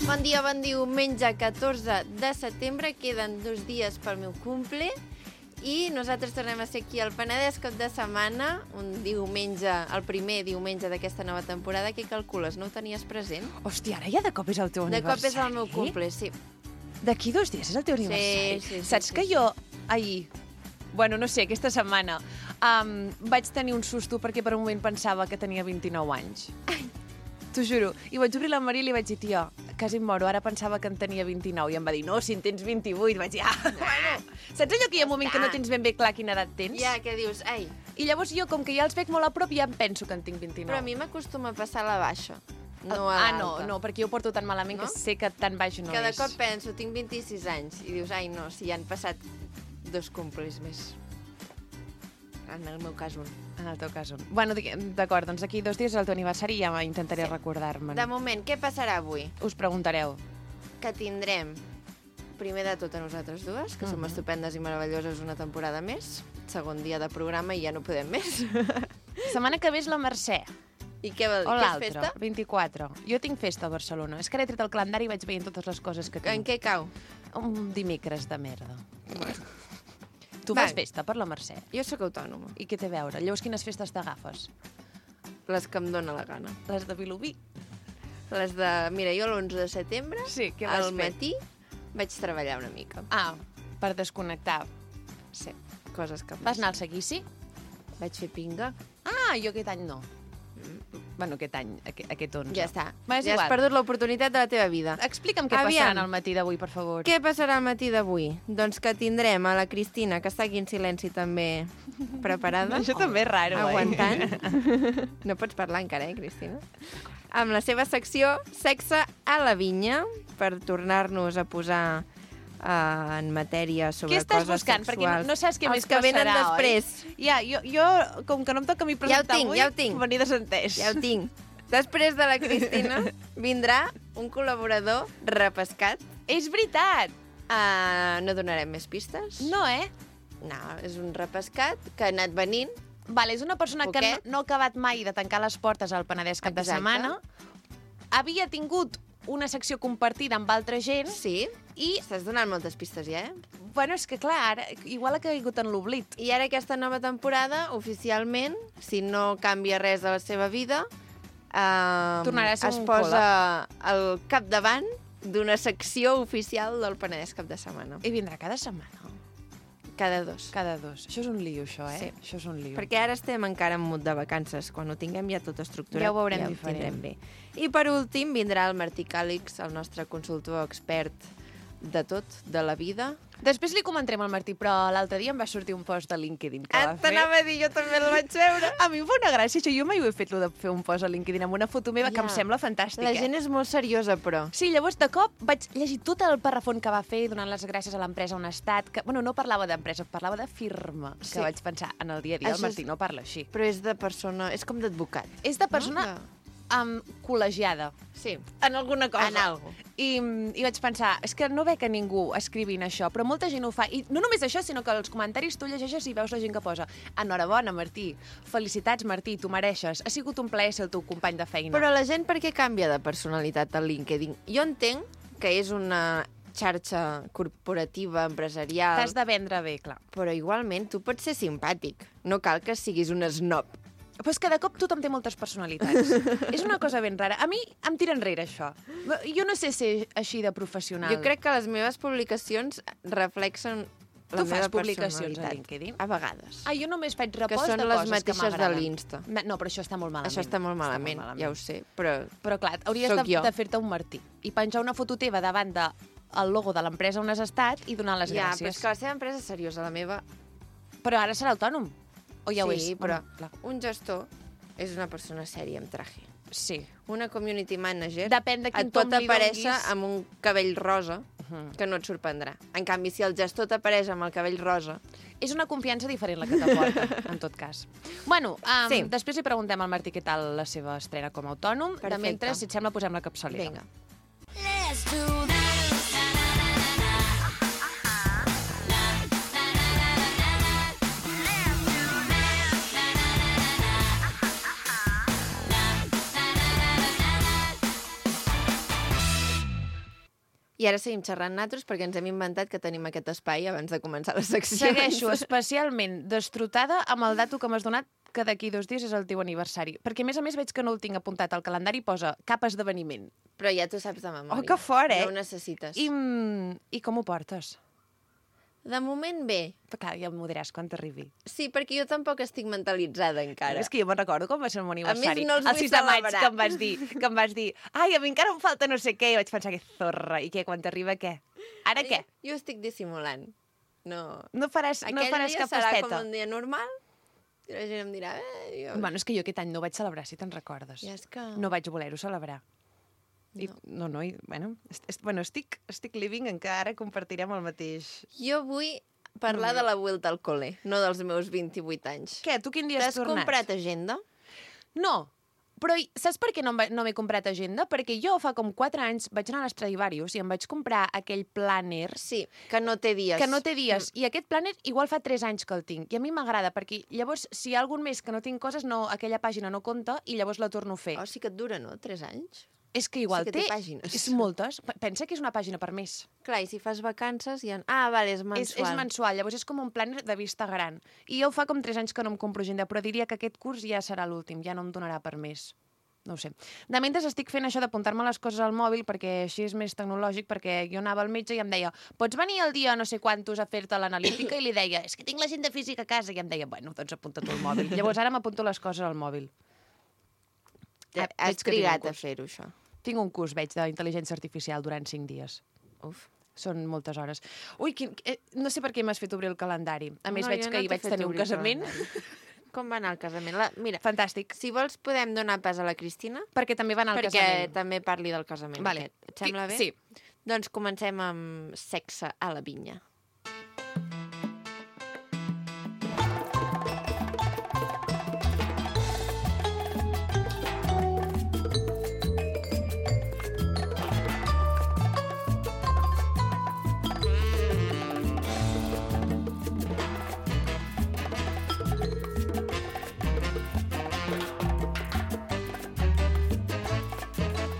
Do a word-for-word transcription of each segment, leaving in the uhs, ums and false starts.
Bon dia, bon diumenge, catorze de setembre. Queden dos dies pel meu cumple i nosaltres tornem a ser aquí al Penedès cap de setmana, un diumenge, el primer diumenge d'aquesta nova temporada. Què calcules? No ho tenies present? Hòstia, ara ja de cop és el teu De aniversari. cop és el meu cumple, sí. D'aquí dos dies és el teu aniversari. sí, sí, Saps sí, que sí. jo ahir, bueno, no sé, aquesta setmana, um, vaig tenir un susto perquè per un moment pensava que tenia vint-i-nou anys. T'ho juro. I vaig obrir la Maria i li vaig dir, tia, quasi em moro, ara pensava que en tenia vint-i-nou. I em va dir, no, si en tens vint-i-vuit. Vaig dir, ah, bueno. Saps allò que hi ha un moment que no tens ben bé clar quina edat tens? Ja, què dius? Ai, I llavors jo, com que ja els veig molt a prop, ja em penso que en tinc vint-i-nou. però a mi m'acostuma a passar a la baixa, no a ah, l'alta. no, no, perquè jo ho porto tan malament No? que sé que tan baix no Cada és. cop penso, tinc vint-i-sis anys, i dius, ai, no, si ja han passat dos cumples més. En el meu cas, un. En el teu cas, un. Bueno, d'acord, doncs aquí dos dies és el teu aniversari i ja intentaré Sí. recordar-me'n. De moment, què passarà avui? Us preguntareu. Que tindrem, primer de tot a nosaltres dues, que som Mhm. estupendes i meravelloses una temporada més, segon dia de programa i ja no podem més. Setmana que ve és la Mercè. I què vol dir? O Que és l'altra, festa? vint-i-quatre. Jo tinc festa a Barcelona. És que ara he tret el calendari i vaig veient totes les coses que En tinc. què cau? Un dimecres de merda. Tu Va. fas festa per la Mercè? Jo sóc autònoma, I què té a veure? Llavors, quines festes t'agafes? les que em dóna la gana. Les de Vilobí? Les de... Mira, jo l'onze de setembre, Sí, què vas al fer? matí, vaig treballar una mica. Ah, per desconnectar. Sí, coses que... Vas anar al seguici? Vaig fer pinga. Ah, jo aquest any no. Bueno, aquest any, aquest, aquest onze. Ja està. Va, és ja igual. has perdut l'oportunitat de la teva vida. Explica'm què Aviam. passarà al matí d'avui, per favor. Què passarà al matí d'avui? Doncs que tindrem a la Cristina, que està aquí en silenci també preparada. Això també és raro, Aguantant. eh? No pots parlar encara, eh, Cristina? Amb la seva secció Sexe a la vinya, per tornar-nos a posar uh, en matèria sobre Què estàs coses buscant? sexuals. Perquè no, no saps què Els més que venen passarà, després. Oi? Ja, jo, jo, com que no em toca a mi Ja ho presentar tinc, avui, ja ho tinc. venir desentès. Ja ho tinc. Després de la Cristina vindrà un col·laborador repescat. És veritat! Uh, no donarem més pistes. No, eh? No, és un repescat que ha anat venint. Vale, és una persona que Poquet. no, no ha acabat mai de tancar les portes al Penedès cap de Exacte. setmana. Havia tingut una secció compartida amb altra gent Sí, i, estàs donant moltes pistes ja, eh? bueno, és que clar, ara, igual ha caigut en l'oblit. I ara aquesta nova temporada, oficialment, si no canvia res de la seva vida, eh, Tornarà a ser es un posa al capdavant d'una secció oficial del Penedès cap de setmana. I vindrà cada setmana. Cada dos. Cada dos. Això és un lío, això, eh? Sí. Això és un lío. Perquè ara estem encara en mood de vacances. Quan ho tinguem ja tot estructurat, Ja ho veurem ja ho diferent. tindrem bé. I per últim vindrà el Martí Càlix, el nostre consultor expert de tot, de la vida. Després li comentarem al Martí, però l'altre dia em va sortir un post de LinkedIn que va fer. T'anava a dir, jo també el vaig veure. A mi em fa una gràcia, això. Jo mai ho he fet, lo de fer un post a LinkedIn amb una foto meva, que Ja. em sembla fantàstic, La eh? gent és molt seriosa, però. Sí, llavors de cop vaig llegir tot el parrafon que va fer donant les gràcies a l'empresa on ha estat. Que, bueno, no parlava d'empresa, parlava de firma. Sí. Que vaig pensar, en el dia a dia Això el Martí és- no parla així. Però és de persona... És com d'advocat. És de persona No? um, col·legiada. Sí. En alguna cosa. En algo. I, I vaig pensar, és que no veig a ningú escrivint això, però molta gent ho fa. I no només això, sinó que als comentaris tu llegeixes i veus la gent que posa enhorabona, Martí, felicitats, Martí, tu mereixes, ha sigut un plaer ser el teu company de feina. Però la gent per què canvia de personalitat al LinkedIn? Jo entenc que és una xarxa corporativa, empresarial, T'has de vendre bé, clar. però igualment tu pots ser simpàtic. No cal que siguis un snob. Però és que de cop tothom té moltes personalitats. És una cosa ben rara. A mi em tira enrere, això. Jo no sé ser així de professional. Jo crec que les meves publicacions reflexen la Tu meva fas publicacions a personalitat. LinkedIn? A vegades. Ah, jo només faig Que repost són de les coses mateixes que de m'agraden. l'Insta. No, però això està molt malament. Això està molt malament, Està molt ja ho sé, però... Però clar, hauries Sóc de, jo. de fer-te un Martí i penjar una foto teva davant de el logo de l'empresa on has estat i donar les Ja, però gràcies. és que la seva empresa és seriosa, la meva... Però ara serà autònom. O ja ho és? sí, però Bueno, clar. un gestor és una persona sèria amb traje. Sí. Una community manager Depèn de quin et pot tom li aparèixer donguis. amb un cabell rosa, Mhm. que no et sorprendrà. En canvi, si el gestor t'apareix amb el cabell rosa... És una confiança diferent la que t'aporta, en tot cas. Bueno, um, Sí. després li preguntem al Martí què tal la seva estrena com a autònom. Perfecte. De mentre, si et sembla, posem la capçalera. Vinga. Let's do this. I ara seguim xerrant nosaltres perquè ens hem inventat que tenim aquest espai abans de començar la secció. Segueixo especialment destrotada amb el dato que m'has donat que d'aquí dos dies és el teu aniversari. Perquè, a més a més, veig que no el tinc apuntat al calendari i posa cap esdeveniment. Però ja t'ho saps de memòria. Oh, que fort, eh? No ho necessites. I, mm, i com ho portes? De moment bé. Però clar, ja m'ho diràs quan t'arribi. Sí, perquè jo tampoc estic mentalitzada encara. És que jo me'n recordo com va ser el meu aniversari. A més, no els el vull sis de maig, celebrar. que em vas dir, que em vas dir, ai, a mi encara em falta no sé què, i vaig pensar que zorra, i què, quan t'arriba què? Ara què? Jo estic dissimulant. No. No faràs, no Aquell faràs dia cap serà festeta? com un dia normal i la gent em dirà... Eh, jo... Bueno, és que jo aquest any no ho vaig celebrar, si te'n recordes. Ja és que... No vaig voler-ho celebrar. I, no, no, i, bueno, est, est, bueno estic, estic living en que ara compartirem el mateix. Jo vull parlar mm. de la vuelta al col·le, no dels meus vint-i-vuit anys. Què, tu quin dia has T'has tornat? comprat agenda? No, però i- saps per què no, em va- no m'he comprat agenda? Perquè jo fa com quatre anys vaig anar a l'Stradivarius i em vaig comprar aquell planner Sí, que no té dies. que no té dies. I aquest planner igual fa tres anys que el tinc. I a mi m'agrada, perquè llavors, si hi ha algun mes que no tinc coses, no, aquella pàgina no compta i llavors la torno a fer. Oh, sí que et dura, no? Tres anys? És que igual sí que té té... pàgines. És moltes. P- Pensa que és una pàgina per mes. Clar, i si fas vacances... Ja... Ah, vale, és És, mensual. és mensual, llavors és com un planner de vista gran. I jo fa com tres anys que no em compro agenda, però diria que aquest curs ja serà l'últim, ja no em donarà per més. No ho sé. De mentre estic fent això d'apuntar-me les coses al mòbil, perquè així és més tecnològic, perquè jo anava al metge i em deia pots venir el dia no sé quantos a fer-te l'analítica? I li deia, és que tinc l'agenda física a casa. I em deia, bueno, doncs apunta tu al mòbil. Llavors ara m'apunto les coses al mòbil. Ja, Ah, has veig que tinc un trigat a curs. fer-ho, això. Tinc un curs, veig, d'intel·ligència artificial durant cinc dies. Uf. Són moltes hores. Ui, quin, eh, no sé per què m'has fet obrir el calendari. A més, No, veig jo que no ahir t'he vaig fet tenir un obrir el casament. calendari. Com va anar el casament? La... Mira, Fantàstic. si vols podem donar pas a la Cristina, Perquè també va anar al perquè casament. també parli del casament Vale. aquest. Et sembla bé? Sí. Doncs comencem amb sexe a la vinya.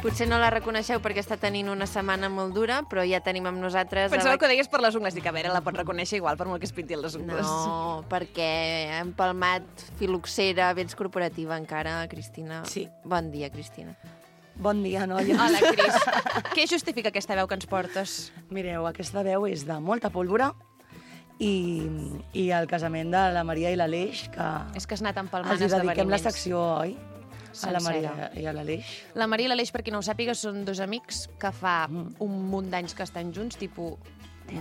Potser no la reconeixeu perquè està tenint una setmana molt dura, però ja tenim amb nosaltres... a Pensava la- que ho deies per les ungles. Dic, a veure, la pot reconèixer igual per molt que es pinti les ungles. No, perquè hem palmat filoxera, vens corporativa encara, Cristina. Sí. Bon dia, Cristina. Bon dia, noies. Hola, Cris. Què justifica aquesta veu que ens portes? Mireu, aquesta veu és de molta pólvora i, i el casament de la Maria i l'Aleix, que És que has anat empalmant els hi dediquem la esdeveniments. secció, oi? A la Sencera. Maria i a l'Aleix. La Maria i l'Aleix, per qui no ho sàpiga, són dos amics que fa un munt d'anys que estan junts, tipus...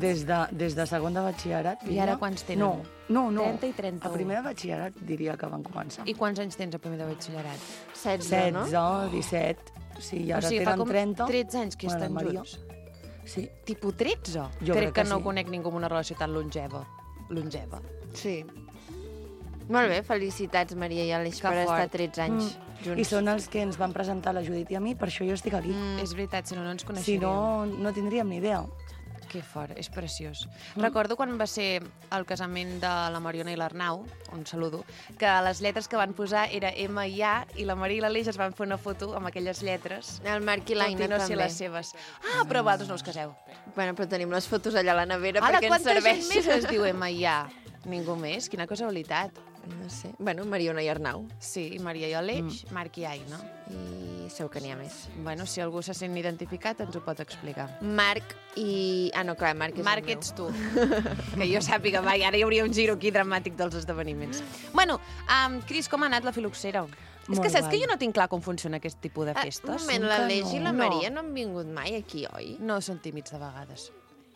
Des de, des de segon de batxillerat. I ara quants tenen? No, no, no. trenta i trenta-u. A primer de batxillerat diria que van començar. I quants anys tens a primer de batxillerat? setze, no? setze, disset... Sí, i ara o sigui, fa tenen com trenta. tretze anys que Bueno, estan Maria. junts. Sí. Tipus tretze? Jo crec crec que, que no sí. conec ningú amb una relació tan longeva. Longeva. Sí. Molt bé, felicitats, Maria i Aleix, Que per fort. estar tretze anys Mm. junts. I són els que ens van presentar la Judit i a mi, per això jo estic aquí. Mm. És veritat, si no, no ens Si coneixeríem. no, no tindríem ni idea. Que fort, és preciós. Mm. Recordo quan va ser el casament de la Mariona i l'Arnau, un saludo, que les lletres que van posar era M i A, i la Maria i l'Aleix es van fer una foto amb aquelles lletres. El Marc i l'Aina Tot i no ser també. les seves. Ah, però vosaltres no us caseu. Bueno, però tenim les fotos allà a la nevera Ara, perquè ens quanta serveix. gent més es diu M i A? Ningú més? Quina casualitat. No sé. Bueno, Mariona i Arnau. Sí, Maria i Aleix, mm. Marc i Aina. I segur que n'hi ha més. Bueno, si algú se sent identificat, ens ho pot explicar. Marc i... Ah, no, clar, Marc és Marc, el meu. ets tu. Que jo sàpiga, vai, ara hi hauria un giro aquí dramàtic dels esdeveniments. Bueno, um, Cris, com ha anat la filoxera? És Molt que saps guai. que jo no tinc clar com funciona aquest tipus de Ah, un festes. moment, que l'Aleix i la no. Maria no han vingut mai aquí, oi? No, són tímids de vegades.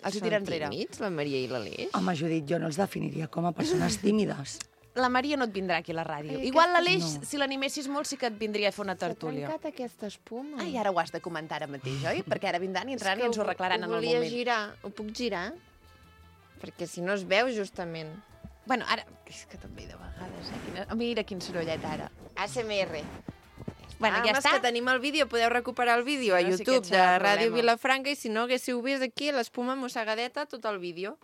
Els hi Són tira enrere. tímids, la Maria i l'Aleix? Home, Judit, jo no els definiria com a persones tímides. La Maria no et vindrà aquí a la ràdio. Ai, Igual aquesta- l'Aleix, no. si l'animessis molt, sí que et vindria a fer una tertúlia. S'ha trencat aquesta espuma. Ai, ara ho has de comentar ara mateix, oi? Perquè ara vindran i entraran i ens ho arreglaran en el volia moment. girar. Ho puc girar? Perquè si no es veu, justament. Bueno, ara... És que també de vegades, eh? Quina... Mira quin sorollet ara. A S M R. Bueno, ah, ja home, està. és que tenim el vídeo, podeu recuperar el vídeo a Sí, no, sí que YouTube et serà de el Ràdio problema. Vilafranca i si no haguéssiu vist aquí l'espuma mossegadeta, tot el vídeo.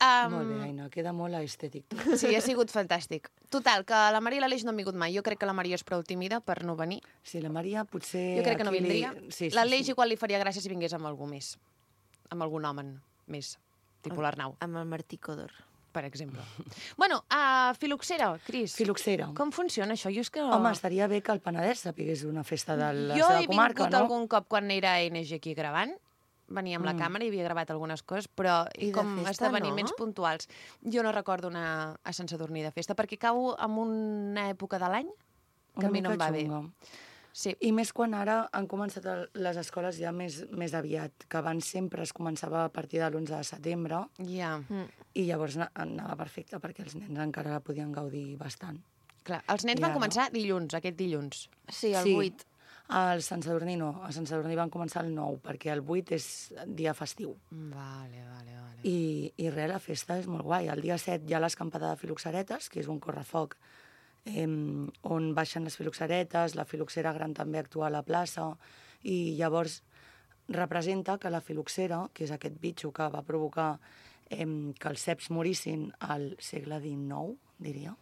Um, Molt bé, Aina, queda molt estètic. Sí, ha sigut fantàstic. Total, que la Maria i l'Aleix no han vingut mai. Jo crec que la Maria és prou tímida per no venir. Sí, la Maria potser... Jo crec que no aquí li- vindria. Sí, sí, L'Aleix sí. igual li faria gràcia si vingués amb algú més. amb algun home més, tipus l'Arnau, Amb el Martí Codor. per exemple. Bueno, uh, Filoxera, Cris. Filoxera. Com funciona això? Jo és que... Home, estaria bé que el Penedès sapigués una festa de la jo seva he comarca, vingut no? algun cop quan era A N G aquí gravant, venia amb la Mm. càmera i havia gravat algunes coses, però I de com festa, esdeveniments no? puntuals. Jo no recordo anar a Sant Sadurní de festa, perquè cau en una època de l'any que Una a mi no em mica va bé. xunga. Sí. I més quan ara han començat el- les escoles ja més, més aviat, que abans sempre es començava a partir de l'onze de setembre, Ja, Mm. i llavors na- anava perfecte perquè els nens encara la podien gaudir bastant. clar. Els nens I van ara? començar dilluns, aquest dilluns. Sí, el Sí. vuit. Al Sant Sadurní no, a Sant Sadurní van començar el nou, perquè el vuit és dia festiu. Vale, vale, vale. I, i res, la festa és molt guai. El dia set hi ha l'escampada de filoxeretes, que és un correfoc eh, on baixen les filoxeretes, la filoxera gran també actua a la plaça, i llavors representa que la filoxera, que és aquest bitxo que va provocar eh, que els ceps morissin al segle dinou, diria,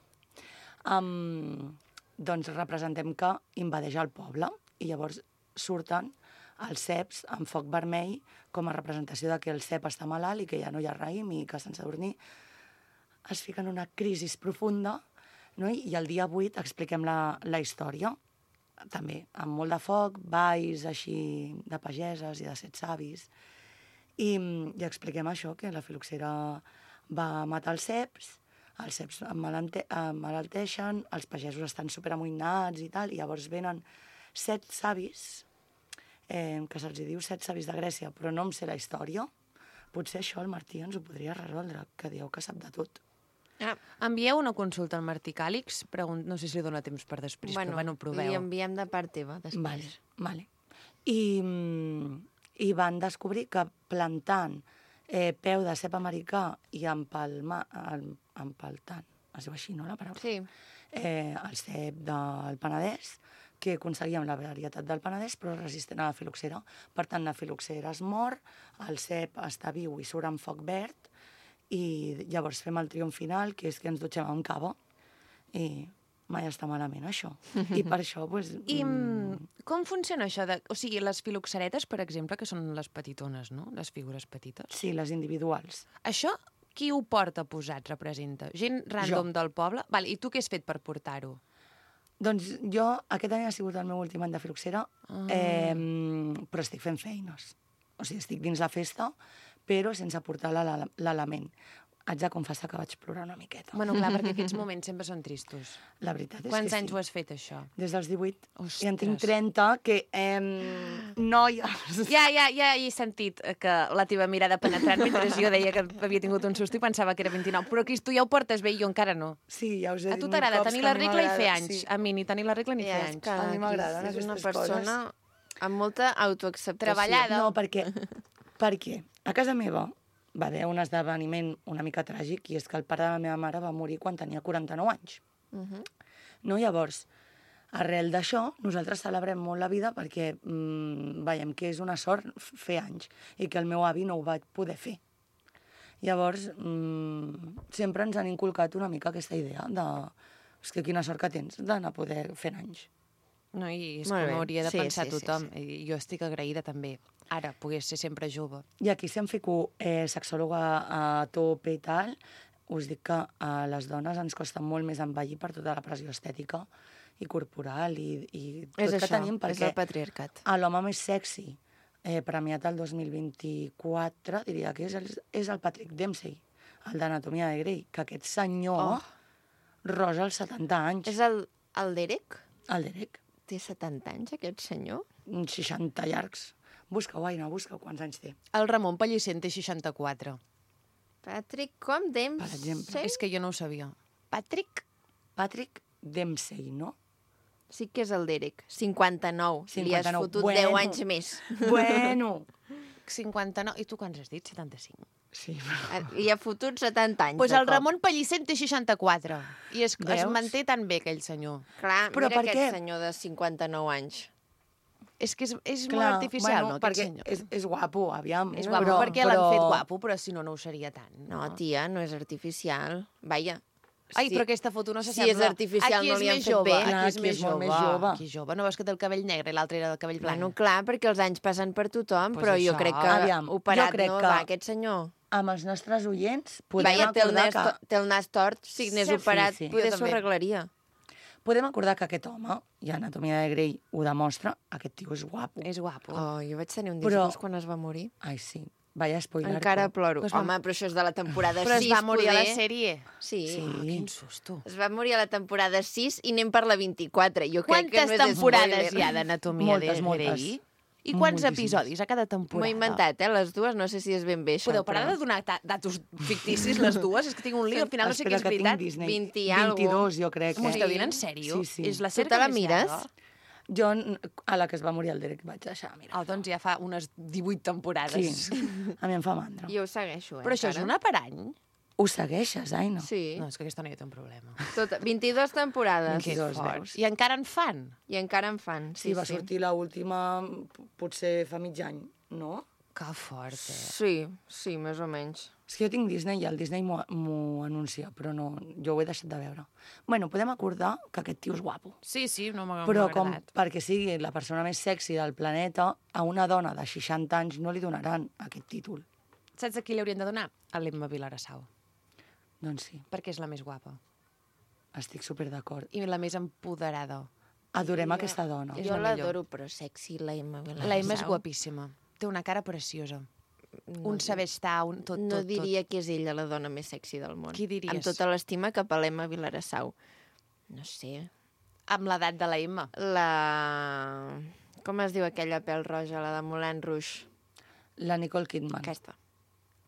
um, doncs representem que invadeix el poble, i llavors surten els ceps amb foc vermell com a representació de que el cep està malalt i que ja no hi ha raïm i que Sant Sadurní es fica en una crisi profunda, no? I el dia vuit expliquem la, la història, també amb molt de foc, balls així de pageses i de set savis, i, i expliquem això, que la filoxera va matar els ceps, els ceps emmalalteixen, els pagesos estan superamoïnats i tal, i llavors venen set savis, eh, que se'ls diu set savis de Grècia, però no em sé la història. Potser això el Martí ens ho podria resoldre, que dieu que sap de tot. Ah, Envieu una consulta al Martí Càlix, pregun... no sé si li dona temps per després, bueno, però bueno, li proveu. enviem de part teva, després. Vale, vale. I, mm, I van descobrir que plantant eh, peu de cep americà i empalma, em- empaltant, es diu així, no, la paraula? Sí. Eh, el cep del Penedès, que aconseguíem la varietat del Penedès, però resistent a la filoxera. Per tant, la filoxera es mor, el cep està viu i surt amb foc verd, i llavors fem el triomf final, que és que ens dutxem amb cava, i mai està malament, això. I per això, doncs... I mm, mm, com funciona això? De... O sigui, les filoxeretes, per exemple, que són les petitones, no? Les figures petites. sí, les individuals. Això, qui ho porta posat, representa? Gent random Jo. del poble? Val, i tu què has fet per portar-ho? Doncs jo, aquest any ha sigut el meu últim any de filoxera, Ah. eh, però estic fent feines. O sigui, estic dins la festa, però sense portar l'ele- l'element. Haig de confessar que vaig plorar una miqueta. Bueno, clar, perquè aquests moments sempre són tristos. La veritat és Quants que anys sí. ho has fet, això? Des dels divuit. Ostres. I en tinc trenta, que... Eh, noies... Ja, ja, ja he sentit eh, que la teva mirada penetrant mentre jo deia que havia tingut un susto i pensava que era vint-i-nou. Però, Cris, tu ja ho portes bé i jo encara no. Sí, ja us he A dit tu mil t'agrada cops tenir que la a mi regla i fer m'agrada, anys. sí. A mi ni tenir la regla ni Ja, fer és anys. que A mi m'agraden és una aquestes persona amb molta autoacceptació. Treballada. No, perquè, perquè a casa meva va haver un esdeveniment una mica tràgic, i és que el pare de la meva mare va morir quan tenia quaranta-nou anys. Mhm. No? Llavors, arrel d'això, nosaltres celebrem molt la vida perquè mm, veiem que és una sort f- fer anys i que el meu avi no ho va poder fer. Llavors, mm, sempre ens han inculcat una mica aquesta idea de... És que quina sort que tens d'anar a poder fer anys. No, i és Molt com bé. hauria de Sí, pensar sí, sí, tothom. I jo estic agraïda també. Ara, pogués ser sempre jove. I aquí, si em fico eh, sexòloga a tope i tal, us dic que a les dones ens costa molt més envellir per tota la pressió estètica i corporal i, i tot És que això, tenim, és perquè el patriarcat. a l'home més sexy eh, premiat el dos mil vint-i-quatre, diria que és el, és el Patrick Dempsey, el d'Anatomia de Grey, que aquest senyor Oh. rosa als setanta anys. És el, el Derek? El Derek, Té setanta anys, aquest senyor? seixanta llargs. Busca-ho, Aina, busca quants anys té. El Ramon Pellicer en té seixanta-quatre. Patrick com Dempsey? Per exemple. És que jo no ho sabia. Patrick? Patrick Dempsey, no? Sí que és el Derek. cinquanta-nou. Li has cinquanta-nou. fotut Bueno. deu anys més. Bueno. cinquanta-nou. I tu quants has dit? setanta-cinc. Sí, però... Li ha fotut setanta anys. Doncs pues de el cop. Ramon Pellicer en té seixanta-quatre. I es, es Veus? manté tan bé, aquell senyor. Clar, Però mira per aquest què? senyor de cinquanta-nou anys. És que és, és Clar, molt artificial, bueno, no, aquest perquè senyor? És, és guapo, aviam. És no, guapo però, perquè l'han fet guapo, però si no, no ho seria tant. No, tia, no és artificial. Vaja, Ai, Sí. però aquesta foto no Si s'assembla. és artificial, Aquí no és li han més fet jove, bé. Aquí Clar, és aquí més és molt jove. més jove. Aquí és jove. No veus que té el cabell negre i l'altre era del cabell blanc? Bueno, clar, perquè els anys passen per tothom, Pues però jo això. crec que Aviam, operat jo crec no que- va, aquest senyor. Amb els nostres oients podem Vaja, té el, acordar nas, que... to- té el nas tort, si n'és Sí, operat, sí. poder Jo s'ho també. arreglaria. Podem acordar que aquest home, i Anatomia de Grey ho demostra, aquest tio és guapo. És guapo. Oh, jo vaig tenir un Però- disgust quan es va morir. Ai, sí. Vaya spoiler. Encara ploro. Pues va- Home, però això és de la temporada Però sis, es va morir a la poder. sèrie. Sí. Sí. Ah, quin susto. Es va morir a la temporada sis i anem per la vint-i-quatre. Jo crec que Quantes no és temporades spoiler. hi ha d'Anatomia Moltes, de moltes. Grey? I quants Moltíssimes. episodis a cada M'ho temporada? he inventat, eh, les dues. No sé si és ben bé això. Podeu parar però- de donar ta- datos ficticis, les dues? És que tinc un lío, al final no sé què Espera, és que tinc veritat. Disney. vint i algo. vint-i-dos, jo crec. M'ho Eh? esteu dient en sèrio? Sí, sí. És la Tu sèrie te la que més mires? llarga. Jo, n- a la que es va morir el Derek, vaig deixar, mira. Oh, doncs ja fa unes divuit temporades. Sí, a mi em fa mandra. Jo ho segueixo, eh, Però això és encara. una per any? Ho segueixes, ai, no? Sí, No, és que aquesta noia té un problema. tota, vint-i-dos temporades. Que vint-i-dos, fort. veus? I encara en fan? I encara en fan. Sí, Sí, va sí. sortir l'última, potser fa mig any, no? Que fort, eh? Sí, sí, més o menys. És que jo tinc Disney i el Disney m'ho m'ho anuncia, però no, jo ho he deixat de veure. Bueno, podem acordar que aquest tio és guapo. Sí, sí, no m'ha Però m'ha com agradat. perquè sigui la persona més sexy del planeta, a una dona de seixanta anys no li donaran aquest títol. Saps a qui li haurien de donar? A l'Emma Vilarassau, Doncs sí, perquè és la més guapa estic super d'acord. i la més empoderada. Adorem aquesta dona. És Jo la millor. l'adoro, però sexy, la Emma Vilarasau. La Emma és guapíssima. Té una cara preciosa. Un saber estar, un tot, No tot, diria que és ella la dona més sexy del món. Qui diries? Amb tota l'estima cap a l'Emma Vilarassau. No sé. tot. Amb l'edat de la Emma. La... Com es diu aquella pèl roja, la de Moulin Rouge? La Nicole Kidman. Aquesta.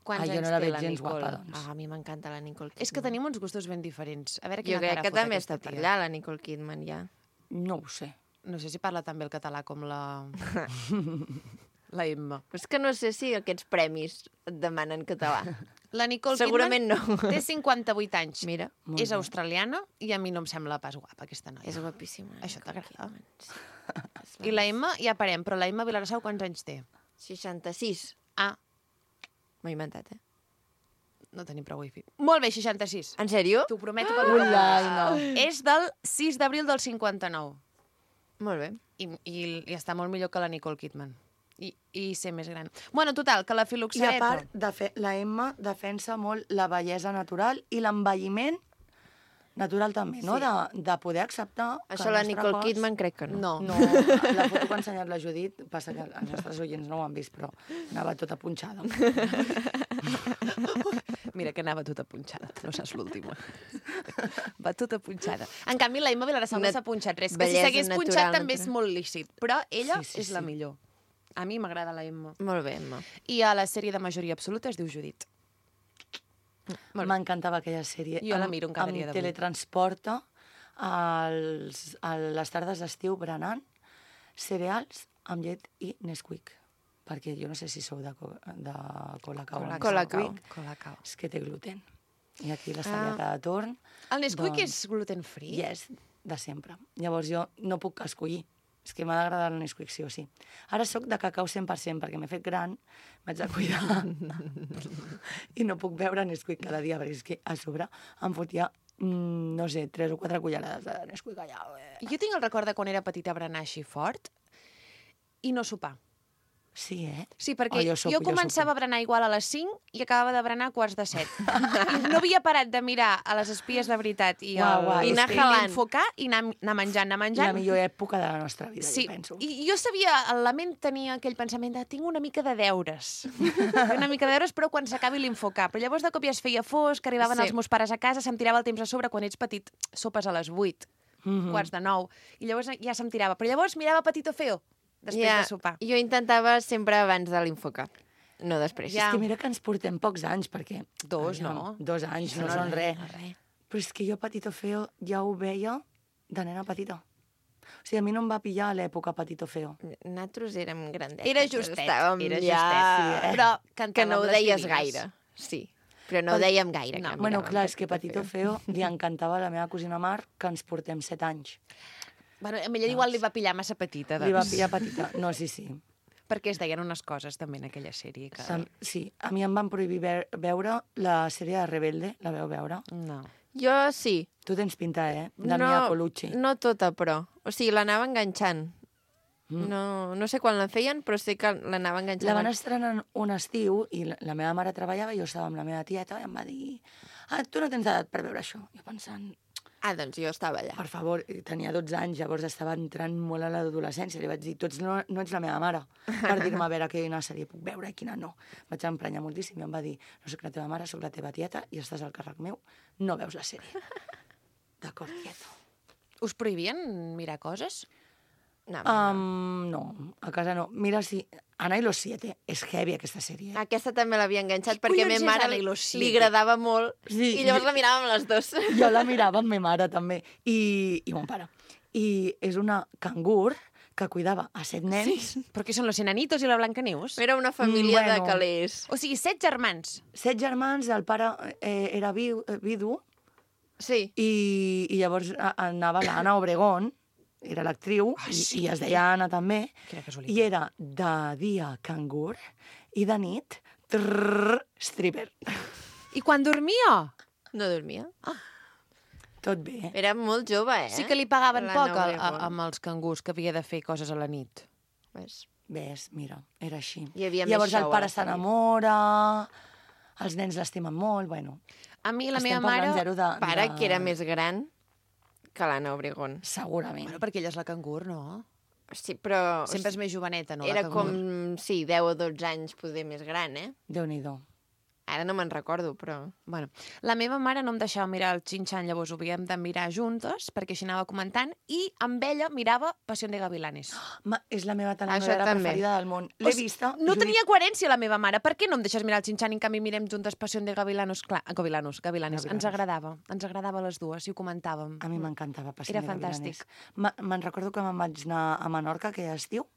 Quants Ah, jo anys no la té veig la gens Nicole? guapa, doncs. Ah, a mi m'encanta la Nicole Kidman. És que tenim uns gustos ben diferents. A veure Jo quina crec cara que fot també aquesta està per tia. allà, la Nicole Kidman, ja. No ho sé. No sé si parla també el català com la... la Emma. Però és que no sé si aquests premis et demanen català. La Nicole Segurament Kidman no. té cinquanta-vuit anys. Mira, Molt És bé. australiana i a mi no em sembla pas guapa, aquesta noia. és guapíssima. Això Nicole t'agrada? Kidman, sí. És I la Emma, ja parem, però la Emma Vilarassau quants anys té? seixanta-sis. Ah, M'ho he inventat, eh? no tenim prou wifi. Molt bé, seixanta-sis. En sèrio? T'ho prometo per Ula, ah. no. És del sis d'abril del cinquanta-nou. Molt bé. I, i, I està molt millor que la Nicole Kidman. I, i ser més gran. Bueno, total, que la I filoxareta... a part, de fe, la Emma defensa molt la bellesa natural i l'envelliment natural també, no? Sí. De, de poder acceptar que Això el la nostre Nicole cos... Kidman crec que no. No. No, la foto que ha ensenyat la Judit, passa que els nostres oients no ho han vist, però anava tota punxada. Mira que anava tota punxada, no saps l'última. Va tota punxada. En canvi, la Emma Vilarassau no Una s'ha punxat res, que si bellesa s'hagués punxat natural, també és natural. molt lícit. Però ella Sí, sí, és la sí. millor. A mi m'agrada la Emma. Molt bé, Emma. I a la sèrie de majoria absoluta es diu Judit. Molt bé. M'encantava aquella sèrie. Jo la Em- miro cada em dia d'avui. teletransporta als, a les tardes d'estiu berenant cereals amb llet i Nesquik. Perquè jo no sé si sou de, co de Colacao. o Colacao. Nesquik. Colacao. És que té gluten. I aquí l'estalviata de torn. El Nesquik Doncs- és gluten free? Yes, de sempre. Llavors jo no puc escollir. És que m'ha d'agradar el Nesquik, sí o sí. Ara sóc de cacau cent per cent, perquè m'he fet gran, m'haig de cuidar. I no puc beure Nesquik cada dia, perquè és que a sobre em fotia, mm, no sé, tres o quatre cullerades de Nesquik allà. Eh. Jo tinc el record de quan era petita berenar així fort i no sopar. Sí, eh? Sí, perquè Oh, jo, jo sopo, jo jo començava sopo. a berenar igual a les cinc i acabava de berenar a quarts de set. I no havia parat de mirar a les espies de veritat i, Uau, el, uau, i és anar que- jalant, enfocar i anar, anar menjant, anar menjant. La millor època de la nostra vida, Sí, jo penso. i jo sabia, la ment tenia aquell pensament de tinc una mica de deures. una mica de deures, però quan s'acabi l'infocar. Però llavors de cop ja es feia fosc, arribaven Sí. els meus pares a casa, se'm tirava el temps a sobre, quan ets petit, sopes a les vuit, Mhm. quarts de nou, i llavors ja se'm tirava. Però llavors mirava Petito Feo, després Ja, de sopar. Jo intentava sempre abans de l'infocar, no després. Ja. És que mira que ens portem pocs anys, perquè... Dos, aviam, no? Dos anys, no, No, són res. no, res. Però és que jo, Petito Feo, ja ho veia de nena petita. O sigui, a mi no em va pillar a l'època Petito Feo. Nosaltres érem grandetes. Era justet, estàvem era ja... justet, sí, eh? però Que cantàvem no ho les deies divines. gaire, sí. Però no ho dèiem gaire. No. que Bueno, miràvem clar, és que Petito Feo li encantava a la meva cosina Mar, que ens portem set anys. Bueno, a ella igual li va pillar massa petita, doncs. Li va pillar petita. No, sí, sí. Perquè es deien unes coses també en aquella sèrie. Que... Sam- Sí, a mi em van prohibir ve veure la sèrie de Rebelde, la veu veure? No. Jo sí. Tu tens pinta, eh? De Mia Colucci. No tota, però. O sigui, l'anava enganxant. Mm. No, no sé quan la feien, però sé que l'anava enganxant. La van estrenar un estiu i la, la meva mare treballava i jo estava amb la meva tieta i em va dir ah, tu no tens edat per veure això. Jo pensant, Ah, doncs jo estava allà. per favor, tenia dotze anys, llavors estava entrant molt a l'adolescència. Li vaig dir, tu ets, no, no ets la meva mare, per dir-me a veure quina sèrie puc veure i quina no. Vaig emprenyar moltíssim i em va dir, no soc la teva mare, soc la teva tieta i estàs al càrrec meu, no veus la sèrie. D'acord, tieta. Us prohibien mirar coses? No, Um, no, a casa no. Mira, si Ana i los siete, és heavy aquesta sèrie. Eh? Aquesta també l'havia enganxat Qui perquè a collons mi és mare Ana i li, los siete? li agradava molt Sí, i llavors i- la miràvem les dos. Jo la mirava amb ma mare, també, i, i mon pare. I és una cangur que cuidava a set nens, sí. Però què són los enanitos i la Blancaneus? Era una família Mm, de bueno. calés. O sigui, set germans. set germans, el pare eh, era viu, eh, vidu, Sí. i, i llavors a- anava l'Anna Obregón, era l'actriu, Ah, i, sí? i es deia Anna també, Quina casualitat. i era de dia cangur i de nit trrr, stripper. I quan dormia? No dormia. Tot bé. Era molt jove, eh? Sí que li pagaven La poc a, Nova a, Obregón. amb els cangurs, que havia de fer coses a la nit. Ves. Ves, mira, era així. Hi havia I més llavors show el a pare la sèrie. s'enamora, els nens l'estimen molt, bueno. A mi la Estem meva mare... parlant zero de... Pare, de... que era més gran que l'Anna Obregón. Segurament. Bueno, perquè ella és la cangur, no? Sí, però... Sempre és més joveneta, no? Era la cangur. com, sí, deu o dotze anys poder més gran, eh? Déu-n'hi-do. Ara no me'n recordo, però... Bueno, la meva mare no em deixava mirar el Xinxan, llavors ho havíem de mirar juntes, perquè així anava comentant, i amb ella mirava Pasión de Gavilanes. Ma, és la meva Això telenovela també. preferida del món. L'he O sigui, vista. No us ho tenia dic. coherència la meva mare. Per què no em deixes mirar el Xinxan i en canvi mirem juntes Pasión de Gavilanos? Clar, Gavilanos, Gavilanes. Gavilanes. Ens agradava. Ens agradava a les dues i ho comentàvem. A mi m'encantava Passió Era de Gavilanes. fantàstic. Ma- Me'n recordo que me'n vaig anar a Menorca aquell estiu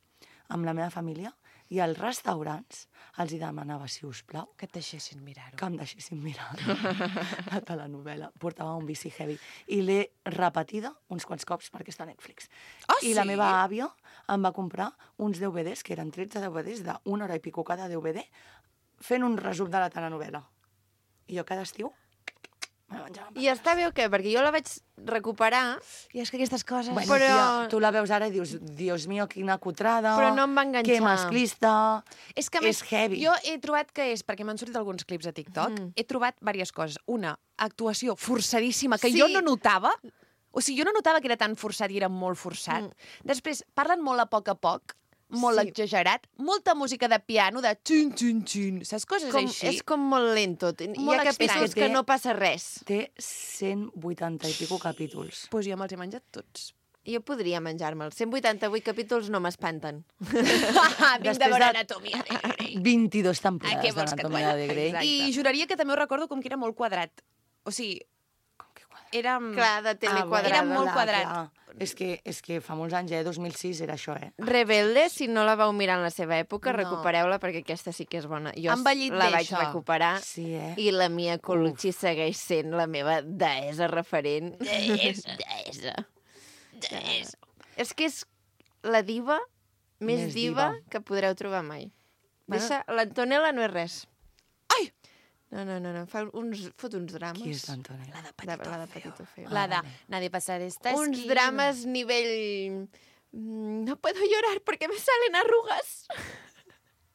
amb la meva família i als restaurants els hi demanava, si us plau, Que et deixessin mirar-ho. que em deixessin mirar la telenovela. Portava un vici heavy. I l'he repetida uns quants cops perquè està a Netflix. Ah, I la sí? meva àvia em va comprar uns D V Ds, que eren tretze D V Ds d'una hora i pico cada D V D, fent un resum de la telenovela. I jo cada estiu me la menjava. I està bé o què? Perquè jo la vaig recuperar, I és que aquestes coses... Bueno, Però- tia, tu la veus ara i dius, Dios mío, quina cutrada, Però no em va enganxar. que masclista, És que a és més, heavy. jo he trobat que és, perquè m'han sortit alguns clips a TikTok, mm. he trobat diverses coses. Una, actuació forçadíssima, que Sí. jo no notava. O sigui, jo no notava que era tan forçat i era molt forçat. Mm. Després, parlen molt a poc a poc, molt Sí. exagerat, molta música de piano, de xin, xin, xin, saps coses com, així? és com molt lento. Hi Molt ha capítols estrany. que no passa res. Té cent vuitanta i pico capítols. Pues jo me'ls he menjat tots. Jo podria menjar-me'ls. cent vuitanta-vuit capítols no m'espanten. Vinc de Després veure de- Anatomia de Grey. vint-i-dos Ah, temporades què vols que et d'Anatomia digui? de Grey. Exacte. I juraria que també ho recordo com que era molt quadrat. O sigui, Com que quadrat? era... Clar, de tele Ah, quadrada. Era molt clar, quadrat. clar. És que, és que fa molts anys, eh? dos mil sis era això, eh? Rebelde, si no la vau mirar en la seva època, No. recupereu-la perquè aquesta sí que és bona. Jo Ha envellit la bé, vaig això. recuperar Sí, eh? i la Mia Colucci segueix sent la meva deessa referent. Deessa. Deessa. Deessa. És que és la diva més, Més diva, diva. que podreu trobar mai. Bueno. Deixa, l'Antonella no és res. Ai! No, no, no, no. Fa uns, fot uns drames. Qui és l'Antonella? La de De, Petito la de Feo. Petito Feo. La de vale. Nadie pasa de esta Uns esquina. drames nivell... mm, No puedo llorar porque me salen arrugas.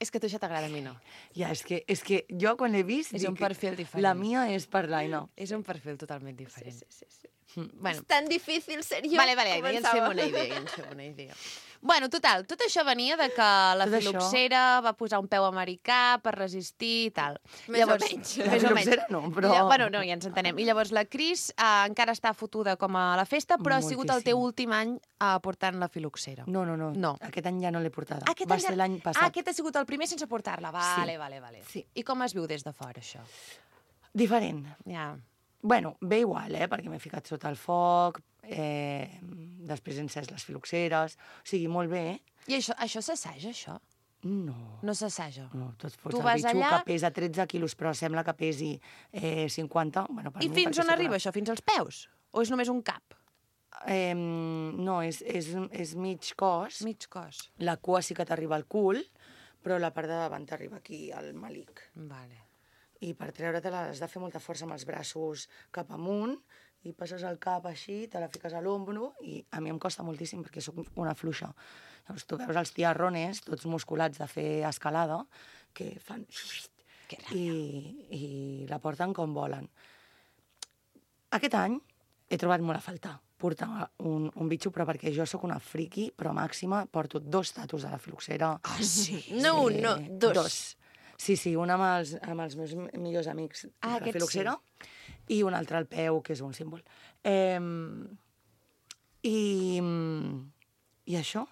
És que a tu això t'agrada, a mi no. Ja, és que, és que jo quan l'he vist... És dic, un perfil diferent. La mia és per l'Aina. És un perfil totalment diferent. Sí, sí, sí. Bueno, És tan difícil ser jo. vale, vale, ja ens Començava. fem una idea, ja ens fem una idea. Bueno, total, tot això venia de que la Tot això. filoxera va posar un peu americà per resistir i tal. Més o menys. La Més o menys. filoxera no, però- Ja, bueno, no, ja ens entenem. I llavors la Cris eh, encara està fotuda com a la festa, però ha sigut el teu Moltíssim. últim any eh, portant la filoxera. No, no, no, No. Aquest any ja no l'he portada. Aquest Va any ja- ser l'any passat. Ah, aquest ha sigut el primer sense portar-la. Vale, Sí. vale, vale. Sí. I com es viu des de fora, això? Diferent. Ja. Bueno, bé igual, eh? Perquè m'he ficat sota el foc, eh, després he encès les filoxeres, o sigui, molt bé, eh? I això, això s'assaja, això? No, No s'assaja. no, tu et fots Tu el vas bitxo allà- que pesa tretze quilos, però sembla que pesi eh, cinquanta. Bueno, per I mi, fins perquè on sóc arriba una- això? Fins als peus? O és només un cap? Eh, no, és, és, és mig cos. Mig cos. La cua sí que t'arriba al cul, però la part de davant t'arriba aquí, al malic. Vale. i per treure-te-la has de fer molta força amb els braços cap amunt, i passes el cap així, te la fiques a l'ombro, i a mi em costa moltíssim perquè sóc una fluixa. Llavors tu veus els tiarrones, tots musculats de fer escalada, que fan... I, i la porten com volen. Aquest any he trobat molt a faltar portar un, un bitxo, però perquè jo sóc una friqui, però màxima, porto dos tatus de la filoxera. Ah, sí? No un, no, dos. Dos. Sí, sí, un amb els, amb els meus millors amics Ah, de la aquest filoxera, i un altre al peu, que és un símbol. Eh, i, I això,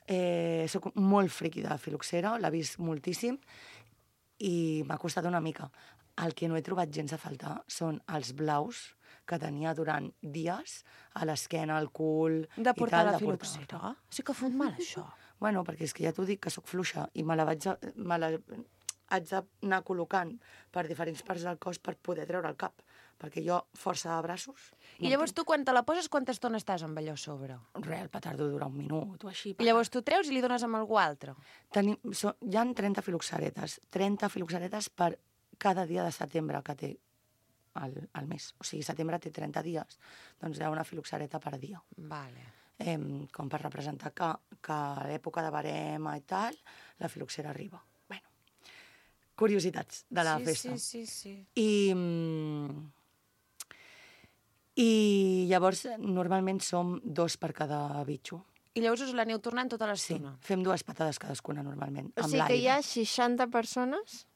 eh, soc molt friqui de la filoxera, l'he vist moltíssim, i m'ha costat una mica. El que no he trobat gens a faltar són els blaus que tenia durant dies a l'esquena, al cul... De portar i tal, la de portar. filoxera? Sí que fot mal, això. Bueno, perquè és que ja t'ho dic, que sóc fluixa, i me la vaig... A, me la, haig d'anar col·locant per diferents parts del cos per poder treure el cap, perquè jo, força de braços... I llavors tu, quan te la poses, quanta estona estàs amb allò a sobre? Res, el petardo dura un minut o així. I llavors tu treus i li dones amb algú altre? Tenim, so, hi ha trenta filoxaretes, trenta filoxaretes per cada dia de setembre que té el, el mes. O sigui, setembre té trenta dies, doncs hi ha una filoxareta per dia. Vale. Eh, com per representar que, que a l'època de barema i tal, la filoxera arriba. Bueno, curiositats de la sí, festa. Sí, sí, sí. I, mm, I llavors, normalment som dos per cada bitxo. I llavors us l'aneu tornant tota Sí, l'estona? fem dues patades cadascuna, normalment, O amb sigui que hi ha l'aire. seixanta persones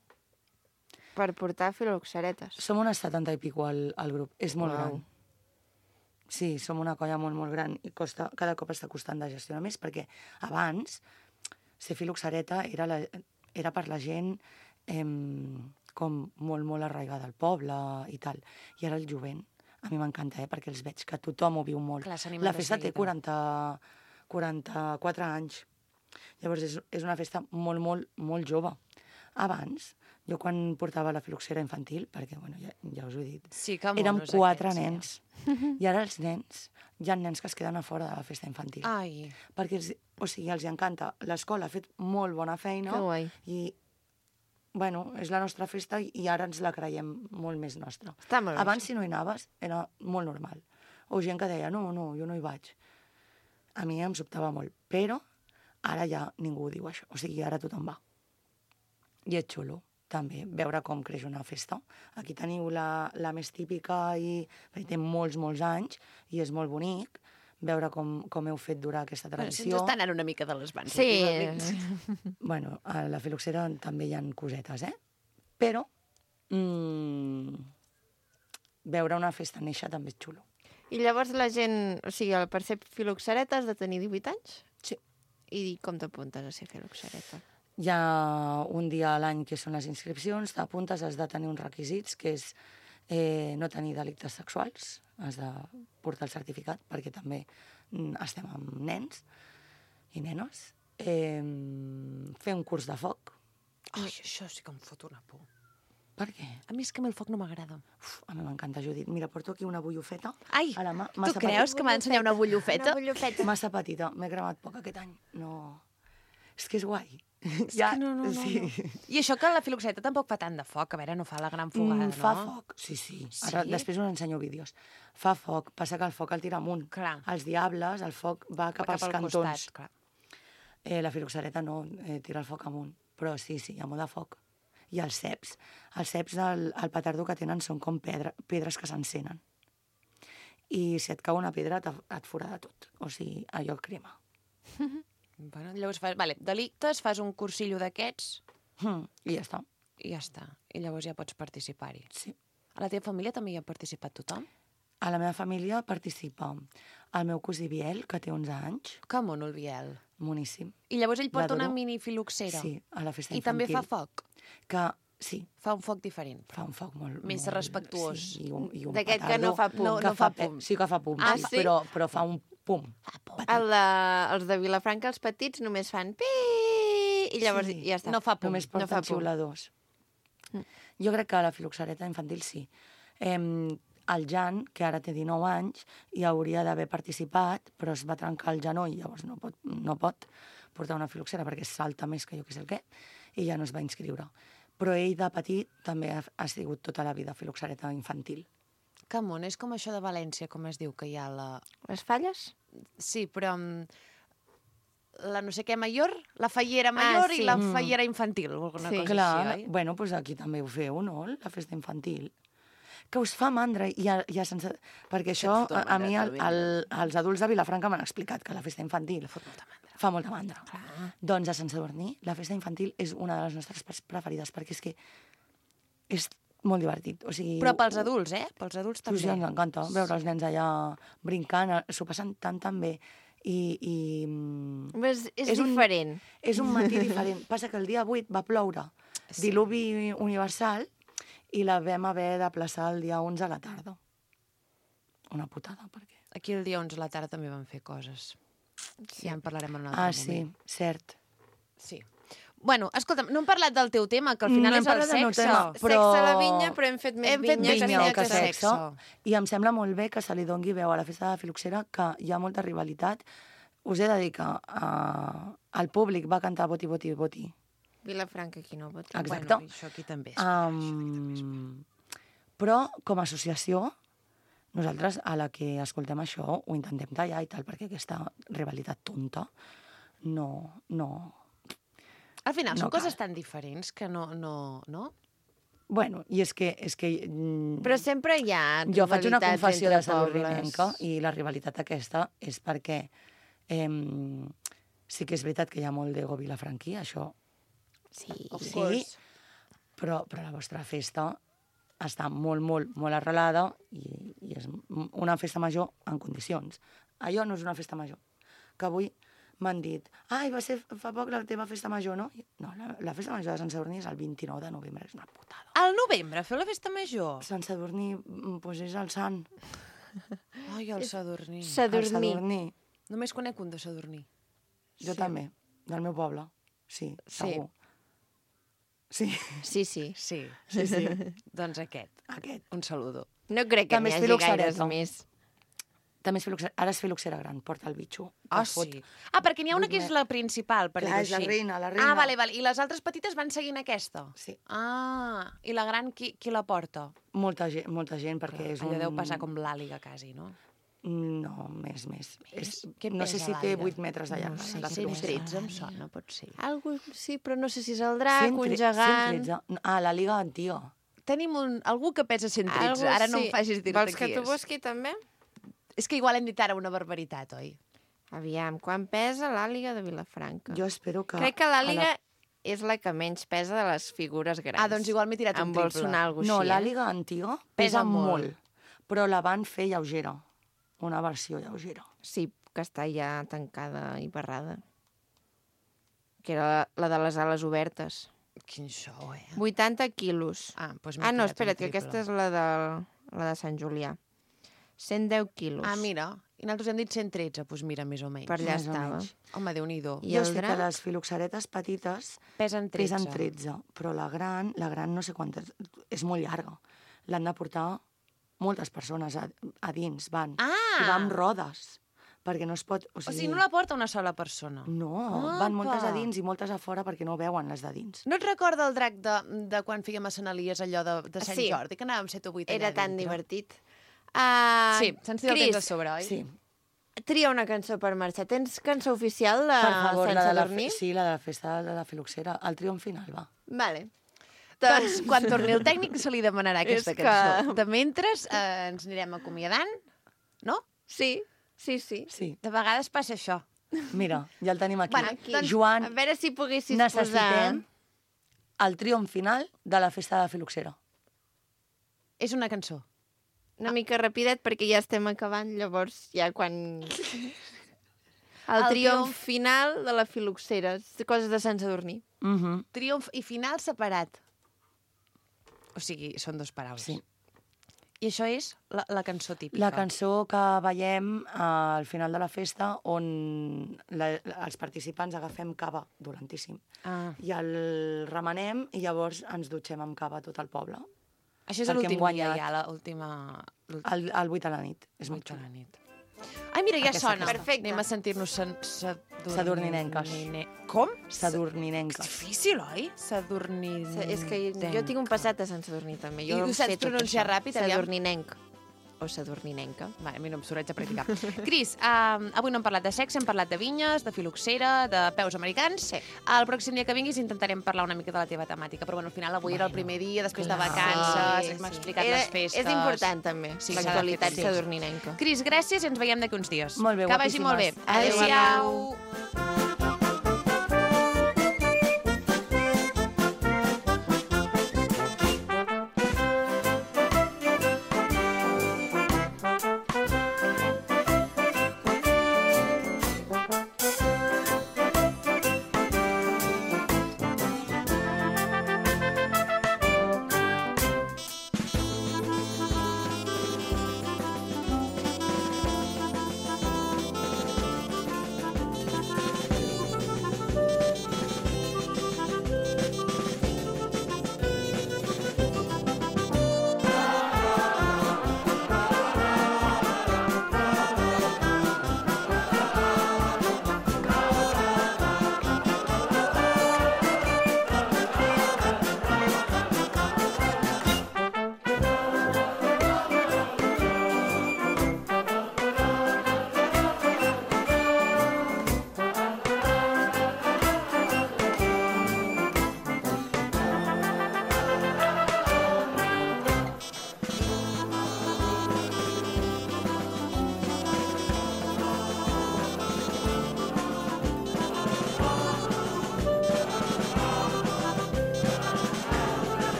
per portar filoxaretes. Som unes setanta i pico al, al grup. És molt Uau. gran. Sí, som una colla molt, molt gran i costa, cada cop està costant de gestionar més, perquè abans ser filoxareta era, la, era per la gent eh, com molt, molt arraigada al poble i tal. I ara el jovent, a mi m'encanta, eh, perquè els veig que tothom ho viu molt. Clar, s'animen la de festa té seguida. quaranta, quaranta-quatre anys. Llavors és, és una festa molt, molt, molt jove. Abans, jo quan portava la filoxera infantil, perquè, bueno, ja, ja us ho he dit, Sí, que érem monos quatre aquests, nens. I ara els nens, hi ha nens que es queden a fora de la festa infantil. Ai, Perquè els, o sigui, els hi encanta. L'escola ha fet molt bona feina. Que guai. I, bueno, és la nostra festa i, i ara ens la creiem molt més nostra. Està molt bé, Abans, si no hi anaves, era molt normal. O gent que deia, no, no, jo no hi vaig. A mi em sobtava molt. Però ara ja ningú diu això. O sigui, ara tothom va. I és xulo, també, veure com creix una festa. Aquí teniu la, la més típica i perquè té molts, molts anys i és molt bonic veure com, com heu fet durar aquesta bueno, si tradició. ens està anant una mica de les mans. Sí. últimament. Bueno, a la filoxera també hi ha cosetes, eh? Però mm, veure una festa néixer també és xulo. I llavors la gent, o sigui, el per ser filoxareta has de tenir divuit anys? Sí. I com t'apuntes a ser filoxareta? Hi ha un dia a l'any que són les inscripcions, t'apuntes, has de tenir uns requisits, que és eh, no tenir delictes sexuals, has de portar el certificat, perquè també mm, estem amb nens i nenes. Eh, fer un curs de foc. Ai, això sí que em fot una por. Per què? A mi és que a mi el foc no m'agrada. Uf, a mi m'encanta, Judit. Mira, porto aquí una bullofeta. Ai, a la mà, tu massa creus que m'ha d'ensenyar una bullofeta? Una bullofeta. Massa petita, m'he cremat poc aquest any. No... És que és guai. És que no, no, no, sí. no. I això que la filoxeta tampoc fa tant de foc, a veure, no fa la gran fogada, Mm, fa no? foc, sí, sí. Sí? Ara, després us ensenyo vídeos. Fa foc, passa que el foc el tira amunt. Clar. Els diables, el foc va cap, Cap als al cantons. costat, clar. Eh, la filoxareta no, eh, tira el foc amunt. Però sí, sí, hi ha molt de foc. I els ceps. Els ceps del el petardo que tenen són com pedra, pedres que s'encenen. I si et cau una pedra te- et forada tot. O sigui, allò crema. Bueno, llavors fas, vale, delictes, fas un cursillo d'aquests Mm, I ja està. i ja està. I llavors ja pots participar-hi. Sí. A la teva família també hi ha participat tothom? A la meva família participa el meu cosí Biel, que té onze anys, Que mono, el Biel. moníssim. I llavors ell porta una L'adoro. mini filoxera. Sí, a la festa I infantil. també fa foc. Que, sí, Fa un foc diferent. fa un foc molt... Més molt, respectuós. Sí, i un, i un D'aquest que petardo no fa pum. No, que no fa pe- pum. Sí que fa pum, Ah, sí, sí? Però, però fa un pum. Fa por. Petit. El de, els de Vilafranca, els petits, només fan pi i llavors Sí. ja està. No fa pum. Només no porten fa pum. xiuladors. Jo crec que a la filoxareta infantil sí. Eh, el Jan, que ara té dinou anys, hi hauria d'haver participat, però es va trencar el genoll, llavors no pot, no pot portar una filoxera perquè salta més que jo que sé el què, i ja no es va inscriure. però ell de petit també ha, ha sigut tota la vida filoxereta infantil. Que món, és com això de València, com es diu, que hi ha la... Les falles? Sí, però... mm, la no sé què major, la fallera major sí. i la Mm. fallera infantil, o alguna Sí. cosa Clar, així, oi? bueno, doncs aquí també ho feu, no?, la festa infantil. Que us fa mandra, ja, ja sense... Perquè això, fot a, a mandra, mi, el, també, el, els adults de Vilafranca m'han explicat que la festa infantil Fot molta mandra. fa molta mandra. Doncs a Sant Sadurní, la festa infantil és una de les nostres pre- preferides, perquè és que és molt divertit. O sigui, Però pels adults, eh? Pels adults Pues també. ja ens encanta veure els nens allà brincant, eh, s'ho passen tan, tan bé. I, i mm, És, és, És un- diferent. és un matí diferent. Passa que el dia vuit va ploure, Sí. diluvi universal, i la vam haver de plaçar el dia onze a la tarda. Una putada, perquè... Aquí el dia onze a la tarda també van fer coses. Sí. Ja en parlarem en un altre Ah, sí, moment. cert. Sí. Bueno, escolta'm, no hem parlat del teu tema, que al final No hem és el parlat del meu sexe. tema, però- Sexe a la vinya, però hem fet més Hem fet vinya, més que vinya sexe. que sexe. I em sembla molt bé que se li dongui veu a la festa de la filoxera, que hi ha molta rivalitat. Us he de dir que uh, el públic va cantar Boti, Boti, Boti. Vilafranca, aquí no voti. Exacte. Bueno, això aquí també. Um, però, com a associació, nosaltres, a la que escoltem això, ho intentem tallar i tal, perquè aquesta rivalitat tonta no... no... Al final no són coses cal. tan diferents que no... no, no? Bueno, i és que... És que mm, Però sempre hi ha jo faig una rivalitats confessió entre de sadurninenca pobles. i la rivalitat aquesta és perquè eh, sí que és veritat que hi ha molt d'ego vilafranquí, això Sí, Of sí, course. però, però la vostra festa està molt, molt, molt arrelada i, i és una festa major en condicions. Allò no és una festa major. Que avui m'han dit, ai, va ser fa poc la teva festa major, no? I- No, la, la festa major de Sant Sadurní és el vint-i-nou de novembre, és una putada. Al novembre feu la festa major? Sant Sadurní, mm, doncs és el sant. Ai, el Sadurní. El Sadurní. Sadurní. Només conec un de Sadurní. Jo també, del meu poble. Sí, Sí. segur. Sí, Sí, sí. Sí. sí, sí. Doncs aquest. Aquest. Un saludo. No crec que També n'hi és hagi filoxereta. gaires més. També és filoxera, ara és filoxera gran, porta el bitxo. que Ah, fot. sí. Ah, perquè n'hi ha una que vuit és me- la principal, per Clar, dir-ho és la així. reina, la reina. Ah, vale, vale. I les altres petites van seguint aquesta? Sí. Ah, i la gran qui, qui la porta? Molta gent, molta gent perquè és Allò un... deu passar com l'àliga, quasi, no? No, més, més. És, Què no sé pesa si té l'àliga? vuit metres de llarg. No sé, la cent filoxera. tretze em sona, pot ser. Algo, sí, però no sé si és el drac, cent un tre- gegant... cent tretze. Ah, la Liga Antiga. Tenim un, algú que pesa cent tretze, ara no em facis dir-te Vols qui que t'ho és. busqui també? És que igual hem dit ara una barbaritat, oi? Aviam, quan pesa l'àliga de Vilafranca? Jo espero que... Crec que a l'àliga la- és la que menys pesa de les figures grans. Ah, doncs igual m'he tirat un Em vol triple. sonar alguna No, així, la eh? Liga Antiga Pesa pesa molt. molt, però la van fer lleugera. Una versió lleugera. Sí, que està ja tancada i barrada. Que era la de les ales obertes. Quin show, eh? vuitanta quilos. Ah, doncs m'he Ah, no, tirat un espera't, que triple. aquesta és la de, la de Sant Julià. cent deu quilos. Ah, mira, i nosaltres hem dit cent tretze, doncs mira, més o menys. Per allà Més o estava. menys. Home, Déu-n'hi-do. I jo el sé drac? que les filoxeretes petites Pesen tretze. pesen tretze, però la gran, la gran no sé quantes, és molt llarga. L'han de portar moltes persones a, a dins, van. Ah! I va amb rodes, perquè no es pot... O O sigui, sigui, no la porta una sola persona. No, Apa! van moltes a dins i moltes a fora perquè no veuen les de dins. No et recorda el drac de, de quan fèiem a Sant Elies, allò de, de Sant Sí. Jordi, que anàvem set o vuit allà Era tan dintre? divertit. Uh, Sí, se'ns tira el temps a sobre, oi? Sí, Tria una cançó per marxar. Tens cançó oficial de per favor, Sant la de la, Sadurní? fe- sí, la de la festa de la filoxera, el triomf final, va. Vale. Doncs quan torni el tècnic se li demanarà aquesta És que- cançó. De mentre eh, ens anirem acomiadant, no? Sí, sí, sí. Sí, De vegades passa això. mira, ja el tenim aquí. Bueno, Aquí. doncs, Joan, A veure si poguessis necessitem posar... el triomf final de la festa de la filoxera. És una cançó. Una mica rapidet perquè ja estem acabant, llavors ja quan... El, El triomf triomf. final de la filoxera, coses de Sant Sadurní. Mm -hmm. Triomf i final separat. O sigui, són dues paraules. Sí. I això és la, la cançó típica. La cançó que veiem eh, al final de la festa on la, els participants agafem cava dolentíssim Ah. i el remenem i llavors ens dutxem amb cava tot el poble. Això és Perquè hem l'últim dia, guanyat. ja, l'última... l'última Al, al vuit a la nit. És molt vuit de xulo. la nit. Ai, mira, ja Aquesta, sona. aquesta. Perfecte. Anem a sentir-nos sen- sadorninenques. Sadorninenques. Com? Sadorninenques. Difícil, oi? Sadorninenques. És que jo tinc un passat a Sant Sadurní, també. Jo I ho sé saps tot pronunciar això. ràpid, aviam? Sadorninenc. O sadorninenca. Va, a mi no em surt, haig de practicar. Cris, uh, avui no hem parlat de sexe, hem parlat de vinyes, de filoxera, de peus americans. Sí. El pròxim dia que vinguis intentarem parlar una mica de la teva temàtica, però bueno, al final avui era el primer dia, després de clar. vacances, Sí, m'ha sí. explicat Era- les festes... És important, també, Sí, l'actualitat s'ha de fer, sí. sadorninenca. Cris, gràcies i ens veiem d'aquí uns dies. Molt bé, Que vagi molt bé. guapíssimes. Adéu. Adéu-siau.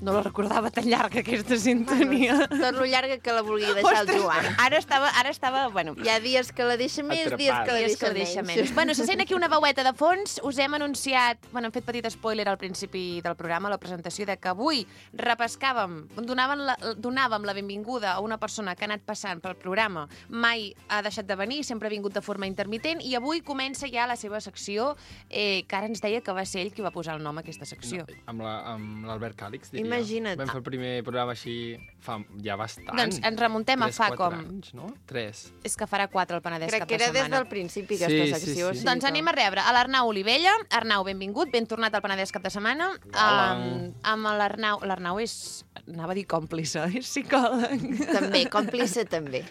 No la recordava tan llarga, aquesta sintonia. Tot lo llarga que la vulgui deixar el Joan. Ara estava, ara estava, bueno, Hi ha dies que la deixa més, Atrapada. dies que la dies que deixa, la deixa menys. menys. Bueno, se sent aquí una veueta de fons. Us hem anunciat, bueno, hem fet petit spoiler al principi del programa, la presentació, de que avui repescàvem, donàvem la, donàvem la benvinguda a una persona que ha anat passant pel programa, mai ha deixat de venir, sempre ha vingut de forma intermitent, i avui comença ja la seva secció, eh, que ara ens deia que va ser ell qui va posar el nom a aquesta secció. No, amb la- amb l'Albert Càlix, diria. Imagina't. Vam fer el primer programa així fa ja bastant. Doncs ens remuntem a Tres, fa quatre com... anys, no? Tres. És que farà quatre el Penedès Crec cap que de era des setmana. del principi, Sí, aquesta sí, secció. sí. sí Doncs que- anem a rebre a l'Arnau Olivella. Arnau, benvingut, ben tornat al Penedès cap de setmana. Hola. Um, amb l'Arnau... L'Arnau és... Anava a dir còmplice, és psicòleg. També, còmplice també.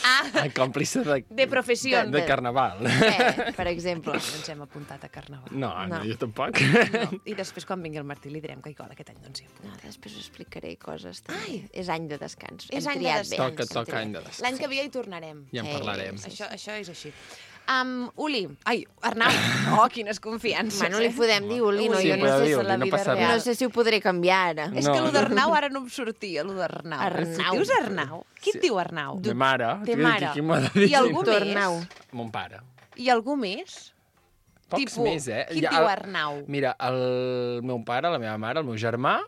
Ah, El còmplice de, de professió. de, de carnaval. Eh, per exemple. No ens hem apuntat a Carnaval. No, no, No. jo tampoc. No. I després, quan vingui el Martí, li direm que igual aquest any no ens hi apuntem. No, després us explicaré coses. Ai. És any de descans. És Hem any de triat descans. bé, Toca, hem toca triat any de bé. descans. L'any que ve ja hi tornarem. Ja en Eh, parlarem. sí. Això, això és així. Um, Uli, ai, Arnau, oh, quines confiances. Bueno, li eh? podem dir Uli, no? Sí, jo no podeu sé, dir si Uli, la no vida passa real. res. No sé si ho podré canviar ara. És No, que allò no. d'Arnau ara no em sortia, allò d'Arnau. Arnau. Dius Arnau? Qui et diu Arnau? De mare. Té Qui- mare. Qui m'ha de dir? I algú Doctor més? Arnau. Mon pare. I algú més? Pocs Tipo, més, eh? qui et Ja, diu el- Arnau? Mira, el meu pare, la meva mare, el meu germà...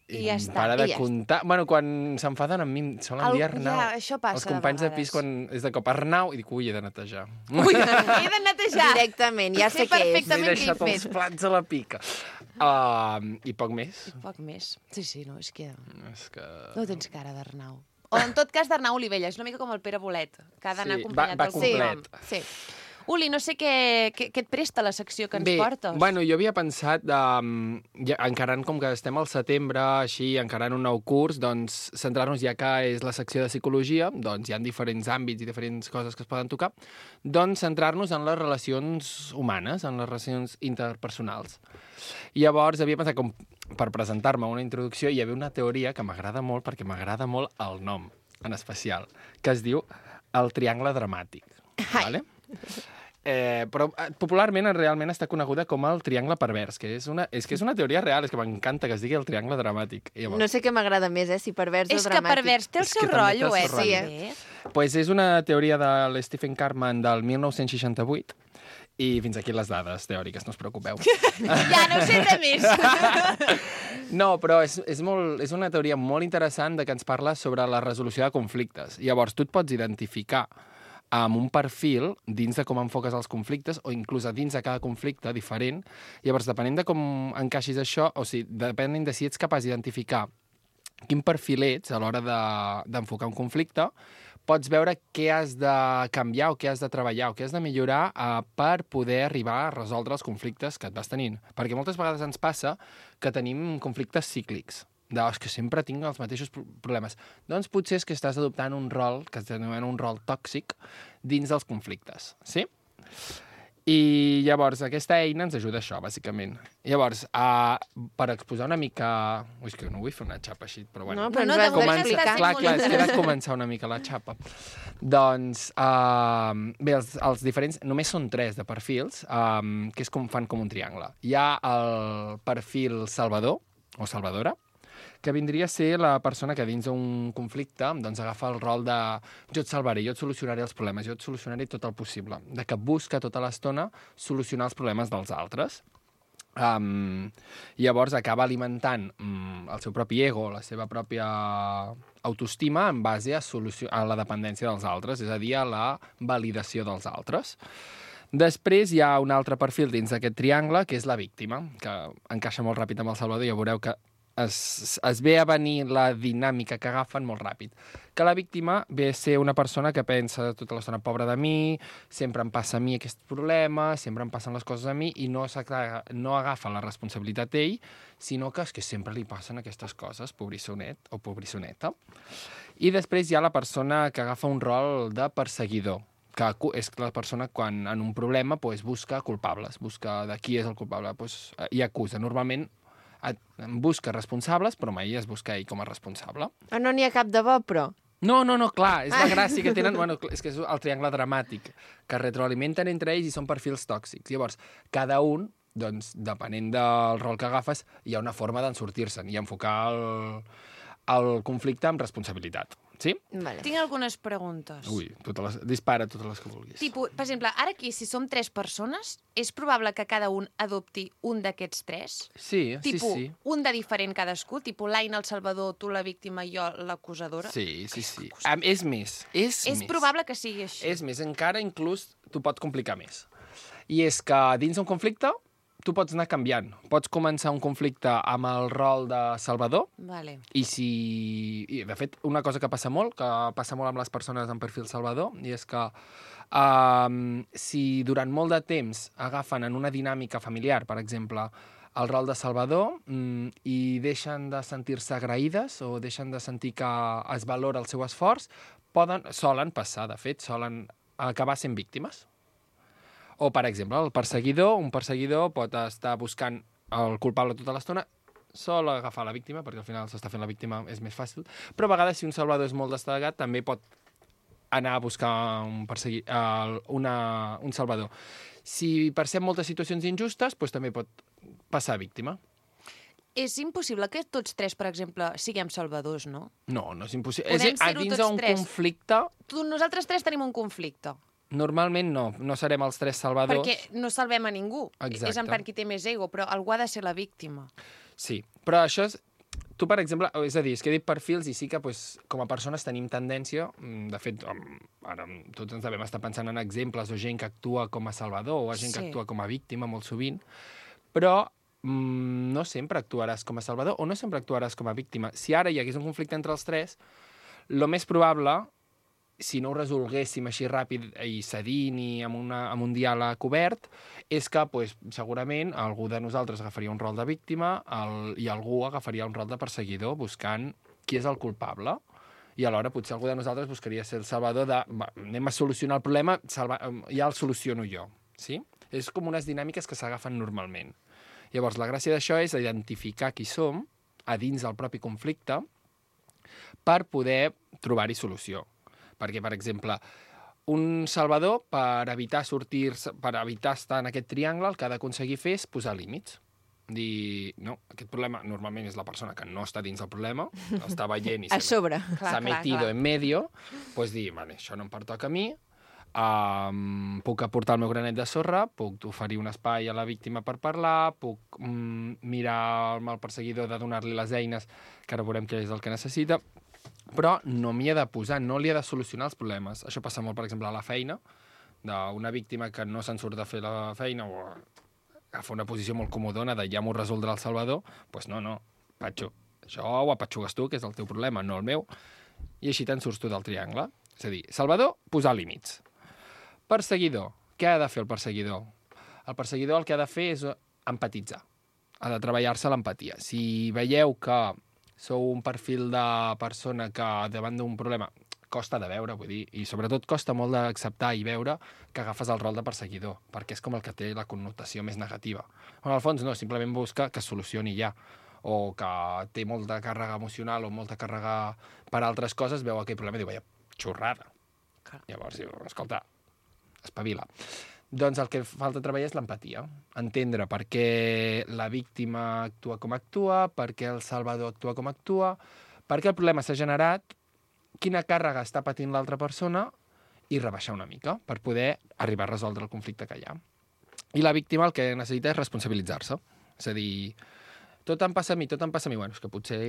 I ja em està, para i de ja comptar... Bueno, quan s'enfaden amb mi, em solen El- dir Arnau. ja, això passa Els de companys de, vegades. pis, quan és de cop Arnau, i dic, ui, he de netejar. Ui, he de netejar. Directament, ja Sé sé què és. M'he perfectament què he deixat els fet. plats a la pica. Uh, I poc més. Poc més. Sí, sí, no, és que És que... no tens cara d'Arnau. O en tot cas d'Arnau Olivella, és una mica com el Pere Bolet, que ha d'anar Sí, acompanyat va- va d'algun complet. nom. Sí. Uli, no sé què, què, què et presta la secció que ens Bé, portes. bueno, jo havia pensat, um, ja, encarant com que estem al setembre, així, encarant un nou curs, doncs centrar-nos ja que és la secció de psicologia, doncs hi ha diferents àmbits i diferents coses que es poden tocar, doncs centrar-nos en les relacions humanes, en les relacions interpersonals. I llavors havia pensat com per presentar-me una introducció hi havia una teoria que m'agrada molt perquè m'agrada molt el nom, en especial, que es diu el triangle dramàtic. Ai. Vale? Eh, però eh, popularment realment està coneguda com el triangle pervers, que és una, és que és una teoria real, és que m'encanta que es digui el triangle dramàtic. I llavors, No sé què m'agrada més, eh, si pervers És o que dramàtic. pervers té el És seu que també té el rotllo, eh? seu rotllo. també. pues és una teoria de l'Stephen Cartman del mil nou-cents seixanta-vuit, i fins aquí les dades teòriques, no us preocupeu. Ja, no sé res més. No, però és, és, molt, és una teoria molt interessant de que ens parla sobre la resolució de conflictes. Llavors, tu et pots identificar amb un perfil dins de com enfoques els conflictes o inclús a dins de cada conflicte diferent. Llavors, depenent de com encaixis això, o sigui, depenent de si ets capaç d'identificar quin perfil ets a l'hora de- d'enfocar un conflicte, pots veure què has de canviar o què has de treballar o què has de millorar eh, per poder arribar a resoldre els conflictes que et vas tenint. Perquè moltes vegades ens passa que tenim conflictes cíclics. De, "Oh, és que sempre tinc els mateixos pro- problemes. Doncs potser és que estàs adoptant un rol, que es denomina un rol tòxic, dins dels conflictes, sí? I llavors aquesta eina ens ajuda a això, bàsicament. Llavors, uh, per exposar una mica... Ui, és que no vull fer una xapa així, però bueno. No, però No, ens no, ho has de moment d'explicar. està sent Clar, molt clar, és que he de interessant. començar una mica la xapa. Doncs, uh, bé, els, els diferents... Només són tres de perfils, um, que és com fan com un triangle. Hi ha el perfil salvador, o salvadora, que vindria a ser la persona que dins d'un conflicte doncs, agafa el rol de jo et salvaré, jo et solucionaré els problemes, jo et solucionaré tot el possible, de que busca tota l'estona solucionar els problemes dels altres. Um, llavors acaba alimentant um, el seu propi ego, la seva pròpia autoestima en base a, solució a la dependència dels altres, és a dir, a la validació dels altres. Després hi ha un altre perfil dins d'aquest triangle, que és la víctima, que encaixa molt ràpid amb el Salvador, ja veureu que es, es ve a venir la dinàmica que agafen molt ràpid. Que la víctima ve a ser una persona que pensa tota l'estona, pobra de mi, sempre em passa a mi aquest problema, sempre em passen les coses a mi, i no, no agafa la responsabilitat ell, sinó que és que sempre li passen aquestes coses, pobrissonet o pobrissoneta. I després hi ha la persona que agafa un rol de perseguidor, que és la persona quan en un problema pues, busca culpables, busca de qui és el culpable, pues, i acusa. Normalment busca responsables, però mai es busca ell com a responsable. Ah, no n'hi ha cap de bo, però. No, no, no, clar, és la gràcia que tenen, bueno, és que és el triangle dramàtic, que retroalimenten entre ells i són perfils tòxics. Llavors, cada un, doncs, depenent del rol que agafes, hi ha una forma d'en sortir-se'n i enfocar el, el conflicte amb responsabilitat. Sí? Vale. Tinc algunes preguntes. Ui, totes les, dispara totes les que vulguis. Tipo, per exemple, ara aquí, si som tres persones, és probable que cada un adopti un d'aquests tres? Sí, Tipo, sí, sí. un de diferent cadascú? Tipo, l'Aina, el Salvador, tu la víctima i jo l'acusadora? Sí, sí, sí. Um, és més, és, És més. probable que sigui així. És més, encara inclús t'ho pot complicar més. I és que dins d'un conflicte tu pots anar canviant. Pots començar un conflicte amb el rol de salvador Vale. i si... I, de fet, una cosa que passa molt, que passa molt amb les persones amb perfil salvador, i és que um, si durant molt de temps agafen en una dinàmica familiar, per exemple, el rol de salvador mm, i deixen de sentir-se agraïdes o deixen de sentir que es valora el seu esforç, poden, solen passar, de fet, solen acabar sent víctimes. O, per exemple, el perseguidor, un perseguidor pot estar buscant el culpable tota l'estona, sol agafar la víctima, perquè al final s'està fent la víctima, és més fàcil, però a vegades si un salvador és molt destacat també pot anar a buscar un, persegui... uh, una... un salvador. Si percep moltes situacions injustes, doncs també pot passar a víctima. És impossible que tots tres, per exemple, siguem salvadors, no? No, no és impossible. Podem és, a ser-ho dins tots d'un tres. conflicte, Tu, nosaltres tres tenim un conflicte. normalment no, no serem els tres salvadors. Perquè no salvem a ningú. Exacte. És en part qui té més ego, però algú ha de ser la víctima. Sí, però això és... Tu, per exemple, és a dir, és que he dit perfils i sí que pues, com a persones tenim tendència, mm, de fet, um, ara tots ens devem estar pensant en exemples o gent que actua com a salvador o gent Sí. que actua com a víctima molt sovint, però mm, no sempre actuaràs com a salvador o no sempre actuaràs com a víctima. Si ara hi hagués un conflicte entre els tres, lo més probable, si no ho resolguéssim així ràpid i cedint i amb, una, amb un diàleg obert, és que pues, segurament algú de nosaltres agafaria un rol de víctima el, i algú agafaria un rol de perseguidor buscant qui és el culpable. I alhora potser algú de nosaltres buscaria ser el salvador de va, anem a solucionar el problema, salva, ja el soluciono jo. Sí? És com unes dinàmiques que s'agafen normalment. Llavors, la gràcia d'això és identificar qui som a dins del propi conflicte per poder trobar-hi solució. Perquè, per exemple, un salvador, per evitar sortir per evitar estar en aquest triangle, el que ha d'aconseguir fer és posar límits. Dir, no, aquest problema normalment és la persona que no està dins del problema, està veient i A sobre. s'ha metido en medio, doncs dir, vale, això no em pertoca a mi, um, puc aportar el meu granet de sorra, puc oferir un espai a la víctima per parlar, puc um, mirar amb el perseguidor de donar-li les eines, que ara veurem què és el que necessita, però no m'hi ha de posar, no li ha de solucionar els problemes. Això passa molt, per exemple, a la feina, d'una víctima que no se'n surt de fer la feina o agafa una posició molt comodona de ja m'ho resoldrà el Salvador, doncs pues no, no, Patxo, això ho apatxugues tu, que és el teu problema, no el meu, i així te'n surts tu del triangle. És a dir, Salvador, posar límits. Perseguidor, què ha de fer el perseguidor? El perseguidor el que ha de fer és empatitzar, ha de treballar-se l'empatia. Si veieu que sou un perfil de persona que davant d'un problema costa de veure, vull dir, i sobretot costa molt d'acceptar i veure que agafes el rol de perseguidor, perquè és com el que té la connotació més negativa. Bueno, al fons no, simplement busca que es solucioni ja, o que té molta càrrega emocional o molta càrrega per altres coses, veu aquell problema i diu, vaja, xorrada. Clar. Llavors diu, escolta, espavila. Doncs el que falta treballar és l'empatia, entendre per què la víctima actua com actua, per què el salvador actua com actua, per què el problema s'ha generat, quina càrrega està patint l'altra persona i rebaixar una mica per poder arribar a resoldre el conflicte que hi ha. I la víctima el que necessita és responsabilitzar-se. És a dir, tot em passa a mi, tot em passa a mi. Bueno, és que potser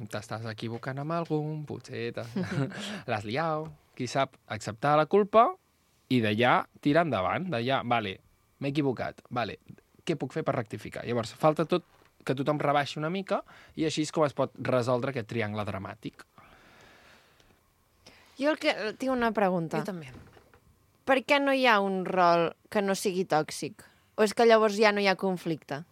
t'estàs equivocant amb algun, potser l'has liat, qui sap, acceptar la culpa i d'allà tirar endavant, d'allà, vale, m'he equivocat, vale, què puc fer per rectificar? Llavors, falta tot que tothom rebaixi una mica i així és com es pot resoldre aquest triangle dramàtic. Jo el que... tinc una pregunta. Jo també. Per què no hi ha un rol que no sigui tòxic? O és que llavors ja no hi ha conflicte?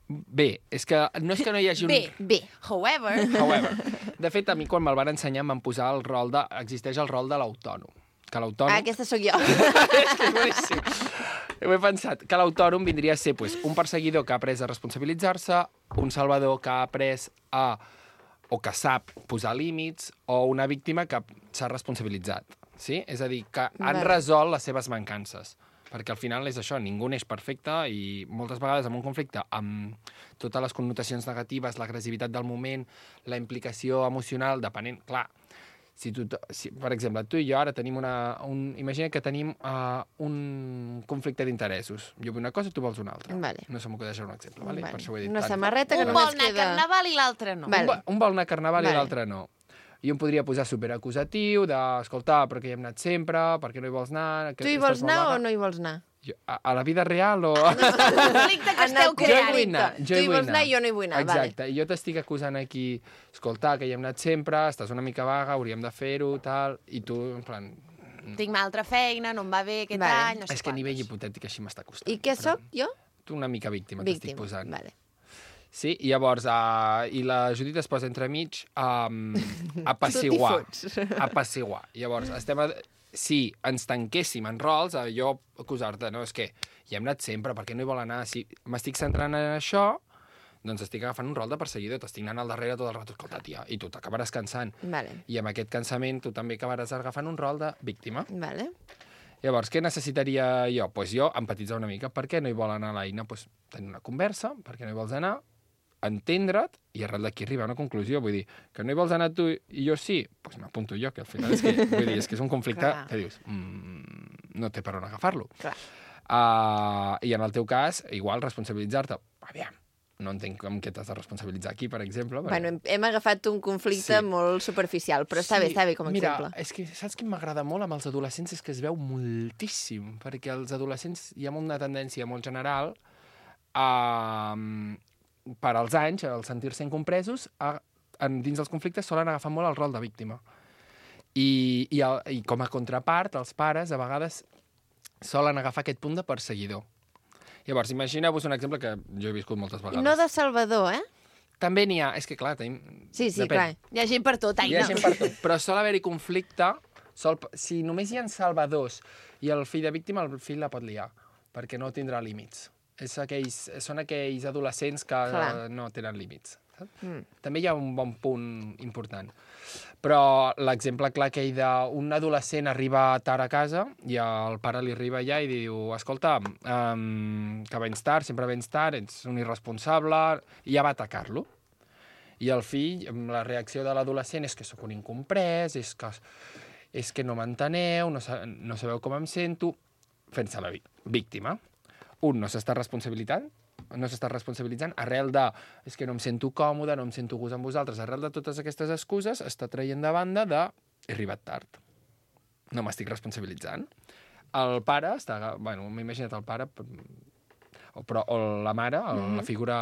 Bé, és que no és que no hi hagi un... Bé, bé. However... However. De fet, a mi quan me'l van ensenyar em van posar el rol de... Existeix el rol de l'autònom. Que l'autònom... Ah, aquesta sóc jo. És que és boníssim. Ho he pensat. Que l'autònom vindria a ser pues, un perseguidor que ha après a responsabilitzar-se, un salvador que ha après a... o que sap posar límits, o una víctima que s'ha responsabilitzat. Sí? És a dir, que han Vale. resolt les seves mancances. Perquè al final és això, ningú n'és perfecte i moltes vegades en un conflicte amb totes les connotacions negatives, l'agressivitat del moment, la implicació emocional, depenent... Clar, si tu, si, per exemple, tu i jo ara tenim una... Un, imagina que tenim uh, un conflicte d'interessos. Jo vull una cosa, tu vols una altra. Vale. No se m'ho acudeix un exemple, vale? Vale. Per això ho he dit. Una Tant. samarreta que Un només vol anar a queda... carnaval i l'altre no. Vale. Un, vol- un vol anar a carnaval Vale. i l'altre no. I em podria posar superacusatiu, d'escoltar, però que hi hem anat sempre, per què no hi vols anar? Que Tu hi estàs vols molt anar vaga. o no hi vols anar? Jo, a, a la vida real o... El conflicte que En el esteu Jo hi creant. vull anar, jo Tu hi hi vull vols anar i jo no hi vull anar, vale. Exacte, i jo t'estic acusant aquí, escolta, que hi hem anat sempre, estàs una mica vaga, hauríem de fer-ho, tal, i tu, en plan... Tinc una altra feina, no em va bé aquest Vale. any, no sé és que a quantos. nivell hipotètic així m'està costant. I què però sóc, jo? Tu una mica víctima, t'estic Víctima. posant. Vale. Sí, i llavors, uh, i la Judit es posa entremig um, apaciguar. Tu t'hi fots. Apaciguar. Llavors, estem a... si ens tanquéssim en rols, a jo acusar-te, no, és que hi hem anat sempre, per què no hi vol anar? Si m'estic centrant en això, doncs estic agafant un rol de perseguidor, t'estic anant al darrere tot el rato, escolta, tia, i tu t'acabaràs cansant. Vale. I amb aquest cansament tu també acabaràs agafant un rol de víctima. Vale. Llavors, què necessitaria jo? Doncs pues jo empatitzar una mica. Per què no hi vol anar l'Aina? Pues, tenir una conversa, per què no hi vols anar, entendre't i arrel d'aquí arribar a una conclusió. Vull dir, que no hi vols anar tu i jo sí, doncs pues m'apunto jo, que al final és que, vull dir, és, que és un conflicte Clar. que dius, mm, no té per on agafar-lo. Clar. Uh, I en el teu cas, igual, responsabilitzar-te. Aviam, no entenc com que t'has de responsabilitzar aquí, per exemple. Perquè... Bueno, hem, hem agafat un conflicte Sí. molt superficial, però està bé, està bé com a Mira, exemple. és que saps què m'agrada molt amb els adolescents? És que es veu moltíssim, perquè els adolescents hi ha una tendència molt general a, per als anys, al sentir-se incompresos, a, en, dins dels conflictes solen agafar molt el rol de víctima. I, i, el, I com a contrapart, els pares, a vegades, solen agafar aquest punt de perseguidor. Llavors, imagineu-vos un exemple que jo he viscut moltes I vegades. no de Salvador, eh? També n'hi ha... És que, clar, tenim... Sí, sí, Depèn. clar. Hi ha gent per tot, Hi Aina. ha gent per tot, però sol haver-hi conflicte. Sol, si només hi ha salvadors i el fill de víctima, el fill la pot liar, perquè no tindrà límits. És aquells, són aquells adolescents que Clar. eh, no tenen límits. Mm. També hi ha un bon punt important. Però l'exemple clar que hi d'un adolescent arriba tard a casa i el pare li arriba allà i diu escolta, um, que vens tard, sempre vens tard, ets un irresponsable, i ja va atacar-lo. I el fill, la reacció de l'adolescent és que sóc un incomprès, és que, és que no m'enteneu, no, sa no sabeu com em sento, fent-se la víctima. Un no s'està responsabilitzant, no s'està responsabilitzant, arrel de és que no em sento còmode, no em sento a gust amb vosaltres, arrel de totes aquestes excuses, està traient de banda de he arribat tard. No m'estic responsabilitzant. El pare està... Bueno, m'he imaginat el pare, o, però, o la mare, el, mm-hmm. la figura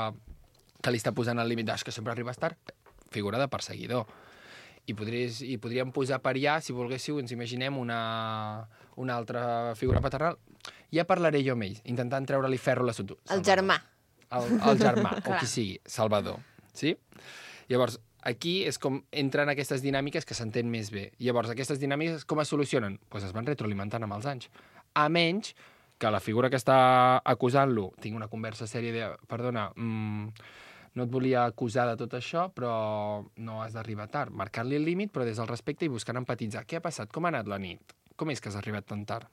que li està posant el límit, que sempre arribes tard, figura de perseguidor. I, podries, i podríem posar per allà, si volguéssiu, ens imaginem una, una altra figura paternal. Ja parlaré jo amb ell, intentant treure-li ferro a l'assumpte. El germà. El, el germà, o qui sigui, Salvador. Sí? Llavors, aquí és com entren aquestes dinàmiques que s'entén més bé. Llavors, aquestes dinàmiques com es solucionen? Doncs pues es van retroalimentant amb els anys. A menys que la figura que està acusant-lo tingui una conversa sèria de... Perdona, mmm, no et volia acusar de tot això, però no has d'arribar tard. Marcar-li el límit, però des del respecte i buscant empatitzar. Què ha passat? Com ha anat la nit? Com és que has arribat tan tard?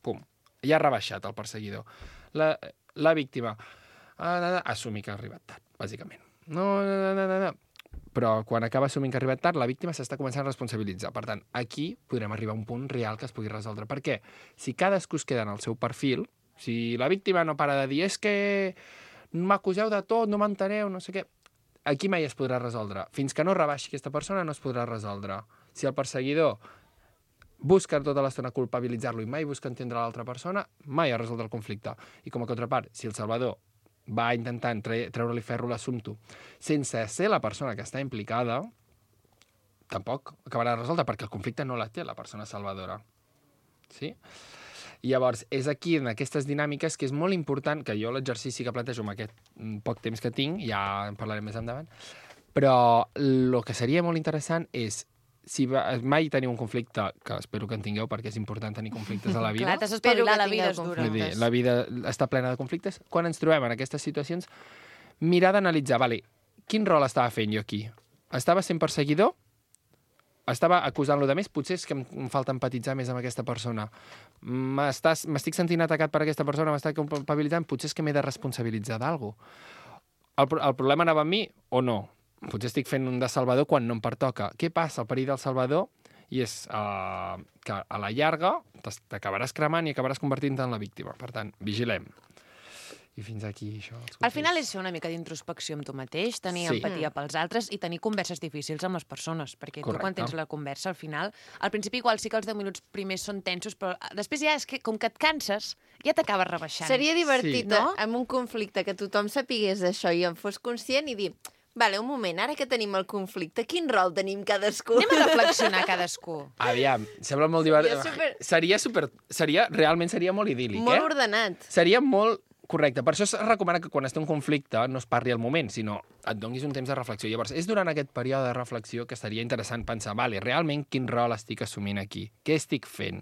Pum. Ja ha rebaixat el perseguidor. La, la víctima ha assumir que ha arribat tard, bàsicament. No, no, no, no, no. Però quan acaba assumint que ha arribat tard, la víctima s'està començant a responsabilitzar. Per tant, aquí podrem arribar a un punt real que es pugui resoldre. Per què? Si cadascú es queda en el seu perfil, si la víctima no para de dir és que m'acuseu de tot, no m'enteneu, no sé què, aquí mai es podrà resoldre. Fins que no rebaixi aquesta persona no es podrà resoldre. Si el perseguidor busca tota l'estona culpabilitzar-lo i mai busca entendre l'altra persona, mai ha resolt el conflicte. I com a contrapart, si el Salvador va intentant tre treure-li ferro a l'assumpte sense ser la persona que està implicada, tampoc acabarà de resoldre, perquè el conflicte no la té la persona salvadora. Sí? I llavors, és aquí, en aquestes dinàmiques, que és molt important, que jo l'exercici que plantejo amb aquest poc temps que tinc, ja en parlarem més endavant, però el que seria molt interessant és, si va, mai teniu un conflicte, que espero que en tingueu, perquè és important tenir conflictes a la vida. Clar, t'has espavilat, la vida és dura. Dir, la vida està plena de conflictes. Quan ens trobem en aquestes situacions, mirar d'analitzar, vale, quin rol estava fent jo aquí? Estava sent perseguidor? Estava acusant-lo de més? Potser és que em falta empatitzar més amb aquesta persona. M'estic sentint atacat per aquesta persona, m'està culpabilitzant, potser és que m'he de responsabilitzar d'alguna cosa. El, el problema anava amb mi o no? Potser estic fent un de Salvador quan no em pertoca. Què passa? El perill del Salvador i és uh, que a la llarga t'acabaràs cremant i acabaràs convertint-te en la víctima. Per tant, vigilem. I fins aquí, això. Al final és fer una mica d'introspecció amb tu mateix, tenir sí. empatia pels altres i tenir converses difícils amb les persones, perquè Correcte. Tu quan tens la conversa, al final, al principi igual sí que els deu minuts primers són tensos, però després ja és que, com que et canses, ja t'acabes rebaixant. Seria divertit, sí. no? amb un conflicte, que tothom sapigués això i en fos conscient i dir, vale, un moment, ara que tenim el conflicte, quin rol tenim cadascú? Anem a reflexionar cadascú. Aviam, sembla molt divertit. Super... Seria super... Seria, realment seria molt idíl·lic, molt eh? Molt ordenat. Seria molt... Correcte, per això es recomana que quan es té un conflicte no es parli al moment, sinó et donis un temps de reflexió. Llavors, és durant aquest període de reflexió que seria interessant pensar, vale, realment quin rol estic assumint aquí? Què estic fent?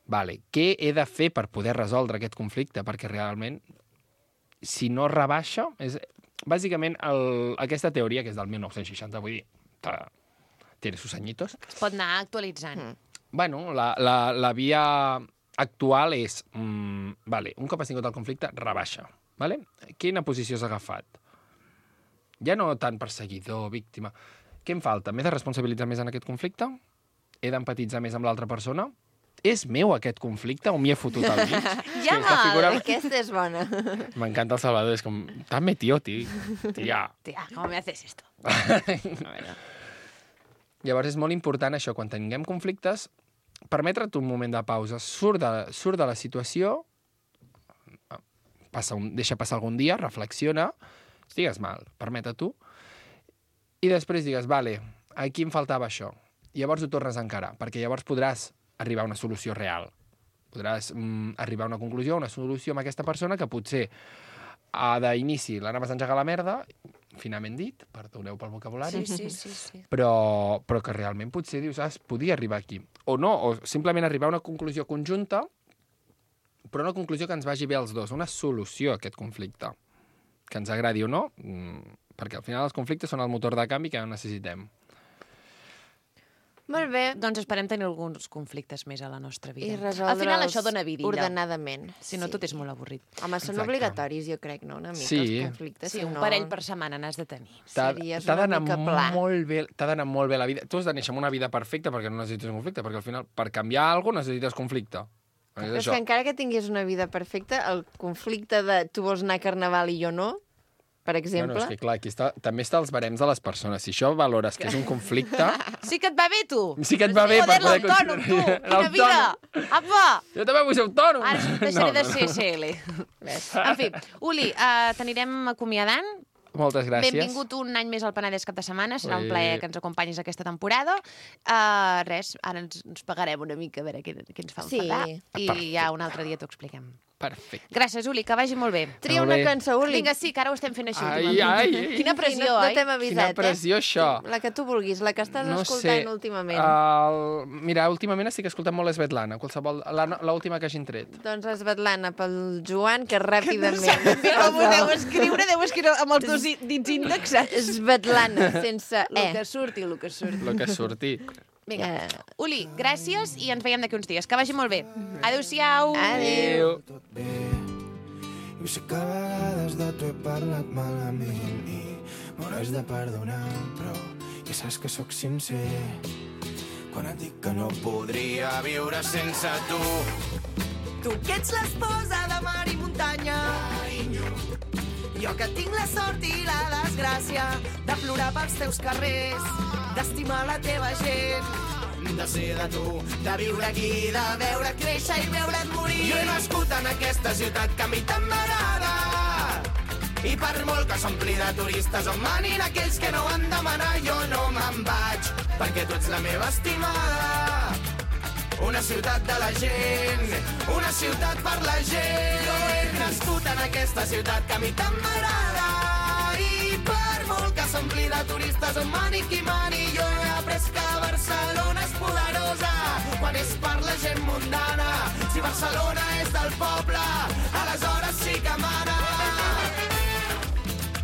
Vale, què he de fer per poder resoldre aquest conflicte? Perquè realment, si no rebaixa... És... Bàsicament, el... aquesta teoria, que és del mil nou-cents seixanta, vull dir, tiene sus añitos. Es pot anar actualitzant. Mm. Bueno, la, la, la via... actual és, mm, vale, un cop has tingut el conflicte, rebaixa. Vale? Quina posició has agafat? Ja no tant perseguidor, víctima. Què em falta? M'he de responsabilitzar més en aquest conflicte? He d'empatitzar més amb l'altra persona? És meu aquest conflicte o m'hi he fotut al mig? Ja, sí, figura... aquesta és bona. M'encanta el Salvador, és com, dame, tío, tío. Tia. Tia, com me haces esto? Llavors és molt important això, quan tinguem conflictes, permetre't un moment de pausa, surt de, surt de la situació, passa un, deixa passar algun dia, reflexiona, estigues mal, permeta-t'ho, i després digues, vale, aquí em faltava això. I llavors ho tornes a encarar, perquè llavors podràs arribar a una solució real. Podràs mm, arribar a una conclusió, a una solució amb aquesta persona que potser a d'inici l'anaves a engegar la merda, finament dit, perdoneu pel vocabulari, sí, sí, sí, sí. Però, però que realment potser dius, ah, podia arribar aquí. O no, o simplement arribar a una conclusió conjunta, però una conclusió que ens vagi bé als dos, una solució a aquest conflicte. que ens agradi o no, perquè al final els conflictes són el motor de canvi que necessitem. Molt bé. Doncs esperem tenir alguns conflictes més a la nostra vida. I resoldre'ls Al final això dona vidilla. ordenadament. Si no, Sí. tot és molt avorrit. Home, són Exacte. obligatoris, jo crec, no? Una mica, Sí. els conflictes. Sí, si un no... parell per setmana n'has de tenir. T'ha Series t'ha una d'anar mica pla. molt bé, t'ha d'anar molt bé la vida. Tu has de néixer amb una vida perfecta perquè no necessites conflicte, perquè al final, per canviar alguna cosa necessites conflicte. És Però és això. que encara que tinguis una vida perfecta, el conflicte de tu vols anar a Carnaval i jo no, per exemple... Bueno, és que clar, aquí està, també està els barems de les persones. Si això valores que és un conflicte... Sí que et va bé, tu! Sí que et va bé per Joder, poder l'autònom, tu! considerar- Quina vida! Apa! Jo també vull ser autònom! Ara deixaré No, de no. ser S L. En fi, Uli, uh, t'anirem acomiadant. Moltes gràcies. Benvingut un any més al Penedès cap de setmana. Serà un Ui. plaer que ens acompanyis aquesta temporada. Uh, res, ara ens, ens pagarem una mica a veure què, què ens fa Sí. enfadar. I Perfecte. ja un altre dia t'ho expliquem. Perfecte. Gràcies, Uli, que vagi molt bé. Tria Molt una bé. cançó, Uli. Vinga, sí, que ara ho estem fent així. Ai, últimament. ai, ai. Quina Sí, pressió, no, no oi? t'hem avisat, Quina pressió, eh? això. La que tu vulguis, la que estàs No escoltant sé. últimament. El... Mira, últimament estic escoltant molt Svetlana, qualsevol... la- l'última que hagin tret. Doncs Svetlana pel Joan, que ràpidament... Com ho deu escriure, deu escriure amb els dos dits índexs. Svetlana, sense El E. que surti, el que surti. El que surti. Vinga. Uli, gràcies i ens veiem d'aquí uns dies. Que vagi molt bé. Adéu-siau. Adéu. tot bé. Jo sé que a vegades de tu he parlat malament i m'hauràs de perdonar, però ja saps que sóc sincer quan et dic que no podria viure sense tu. Tu que ets l'esposa de mar i muntanya, jo que tinc la sort i la desgràcia de plorar pels teus carrers, d'estimar la teva gent, De ser de tu, de viure aquí, de veure créixer i veure't morir. Jo he nascut en aquesta ciutat que a mi tant m'agrada. I per molt que s'ompli de turistes on manin aquells que no van demanar, jo no me'n vaig, perquè tu ets la meva estimada. Una ciutat de la gent, una ciutat per la gent. Jo he nascut en aquesta ciutat que a mi tant m'agrada. I per molt que s'ompli de turistes on mani qui mani, jo he après que Barcelona és poderosa quan és per la gent mundana. Si Barcelona és del poble, aleshores sí que mana.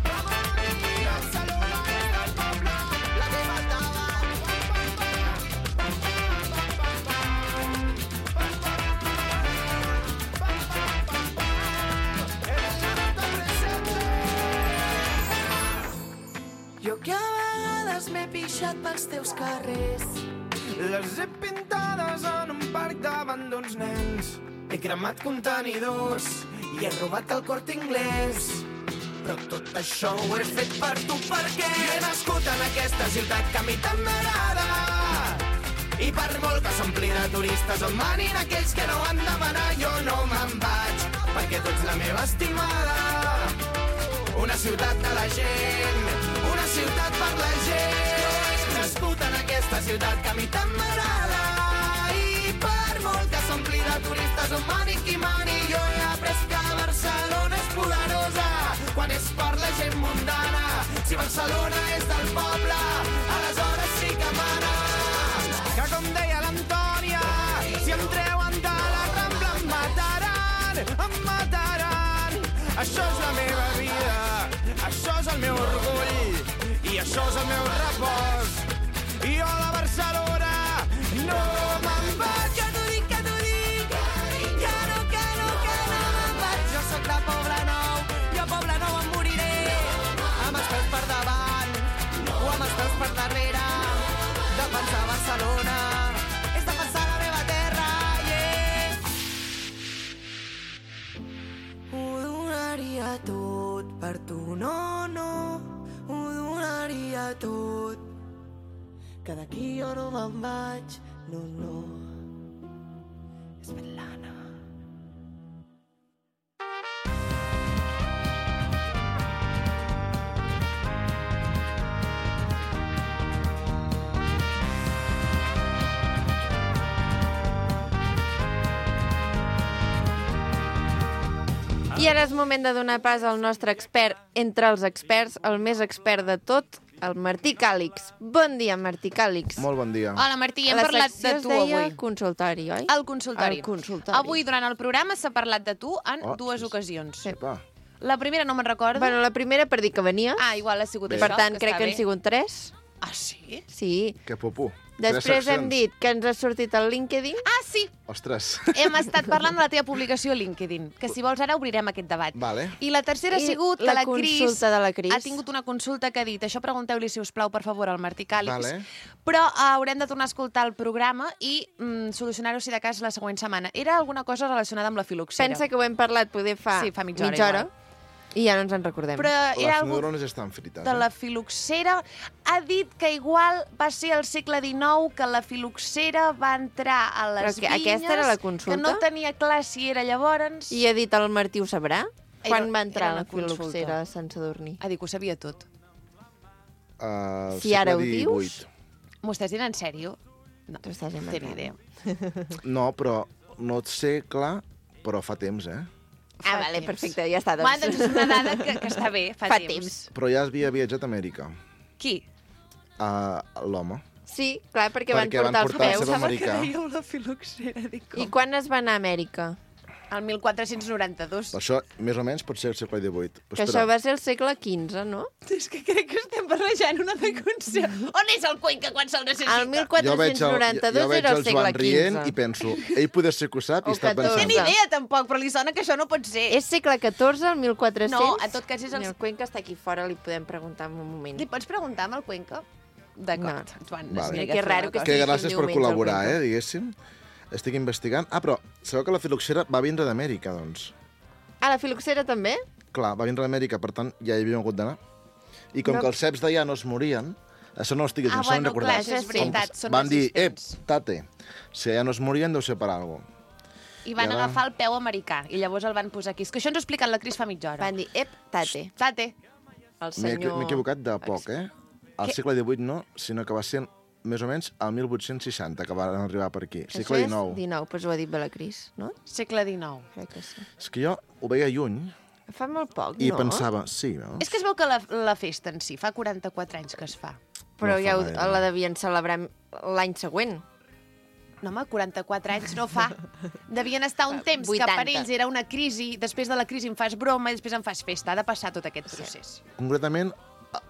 Barcelona és del poble, la teva jo que a vegades m'he pixat pels teus carrers. Les he pintades en un parc davant d'uns nens. He cremat contenidors i he robat el Corte Inglés. Però tot això ho he fet per tu perquè he nascut en aquesta ciutat que a mi tant m'agrada. I per molt que s'ompli de turistes on manin aquells que no van demanar, jo no me'n vaig, perquè tu ets la meva estimada. Una ciutat de la gent, una ciutat per la gent. Jo he nascut en aquesta ciutat que a mi tant m'agrada. I per molt que s'ompli de turistes on mani qui mani, jo he après que Barcelona és poderosa quan és per la gent mundana. Si Barcelona és del poble, aleshores sí que mana. Que com deia l'Antònia, si em treuen de la Rambla em mataran, em mataran. Això és la meva vida, això és el meu orgull i això és el meu repòs. I jo a la Barcelona no me'n vaig. Que t'ho dic, que t'ho dic, que no, que no, que no me'n vaig. Jo sóc de Poble Nou, jo a Poble Nou em moriré, amb els peus per davant o amb els peus per darrere. Defensar Barcelona és defensar la meva terra, yeah. Ho donaria tot per tu, no, no, ho donaria tot. Que d'aquí jo no me'n vaig, no, no. Svetlana. I ara és moment de donar pas al nostre expert entre els experts, el més expert de tot, el Martí Càlix. Bon dia, Martí Càlix. Molt bon dia. Hola, Martí, hem La parlat secció de es tu deia avui. consultori, oi? El consultori. El consultori. Avui, durant el programa, s'ha parlat de tu en Oh, dues sí, sí. ocasions. Sí. Epa. La primera no me'n recordo. Bueno, la primera per dir que venies. Ah, igual ha sigut Bé. això. Per tant, que crec està que han bé. sigut tres. Ah, sí? Sí. Que popu. Després Tres hem seccions. dit que ens ha sortit el LinkedIn. Ah, sí! Ostres. Hem estat parlant de la teva publicació a LinkedIn, que si vols ara obrirem aquest debat. Vale. I la tercera ha I sigut que la la Cris, consulta de la Cris. ha tingut una consulta que ha dit això pregunteu-li, si us plau, per favor, al Martí Càlix. Vale. Però uh, haurem de tornar a escoltar el programa i mm, solucionar-ho, si de cas, la següent setmana. Era alguna cosa relacionada amb la filoxera. Pensa que ho hem parlat poder fa, Sí, fa mitja hora, mitja hora igual. i ja no ens en recordem. Però era Les algú neurones estan frites. de la Eh? filoxera. Ha dit que igual va ser al segle dinou que la filoxera va entrar a les Però que vinyes, aquesta era la consulta? que no tenia clar si era llavors... I ha dit el Martí ho sabrà? Era- Quan va entrar era la una consulta. filoxera a Sant Sadurní? Ha dit que ho sabia tot. Uh, Si ara ho dius... M'ho estàs dient en sèrio? No, Tu estàs no inventant. tenia idea. No, però no et sé clar, però fa temps, eh? Ah, Fa vale, temps. perfecte, ja està. Home, Doncs. doncs és una dada que, que està bé, fa, Fa temps. temps. Però ja havia viatjat a Amèrica, Qui? a l'home. Sí, clar, perquè, Perquè van van portar els portar la peus. seva americà. dèieu la filoxera, dic I quan es va anar a Amèrica? El mil quatre-cents noranta-dos. Això, més o menys, pot ser el segle divuit. Però Que això va ser el segle quinze, no? És que crec que estem barrejant una de concepte. On és el Cuenca quan se'l necessita? El jo veig el, jo, catorze noranta-dos jo veig era el el segle Joan rient quinze. i penso, ell poder ser que ho sap O i està catorze. No té pensant... ni idea, tampoc, però li sona que això no pot ser. És segle catorze, el mil quatre-cents? No, en tot cas és el- El Cuenca està aquí fora, li podem preguntar en un moment. Li pots preguntar amb el Cuenca? D'acord, No. Joan. Vale. mira Que raro que Que estigui gràcies un per diumenge al col·laborar, Cuenca. eh, diguéssim. Estic investigant. Ah, però sabeu que la filoxera va vindre d'Amèrica, doncs? Ah, la filoxera també? Clar, va vindre d'Amèrica, per tant, ja hi havíem hagut d'anar. I com No. que els ceps d'allà no es morien, això no ho estic Ah, dient, s'ho han bueno, recordat. clar, això és veritat, són Van dir, eh, resistents. tate, si allà no es morien, deu ser per alguna cosa. I van I ara- agafar el peu americà, i llavors el van posar aquí. És que això ens ho ha explicat la Cris fa mitja hora. Van dir, ep, tate, Tate. el M'he senyor... m'he equivocat de poc, eh? Al Què? segle divuit no, sinó que va ser més o menys al mil vuit-cents seixanta que van arribar per aquí. Això Segle és dinou. dinou, doncs ho ha dit bé la Cris, no? Segle dinou. Crec que sí. És que jo ho veia lluny Fa molt poc, i no? pensava, sí, no? És que es veu que la, la festa en si fa quaranta-quatre anys que es fa. Però No ja fa ho, gaire. la devien celebrar l'any següent. No, home, quaranta-quatre anys no fa. Devien estar un temps vuitanta. que per ells era una crisi, després de la crisi em fas broma i després em fas festa. Ha de passar tot aquest procés. Concretament,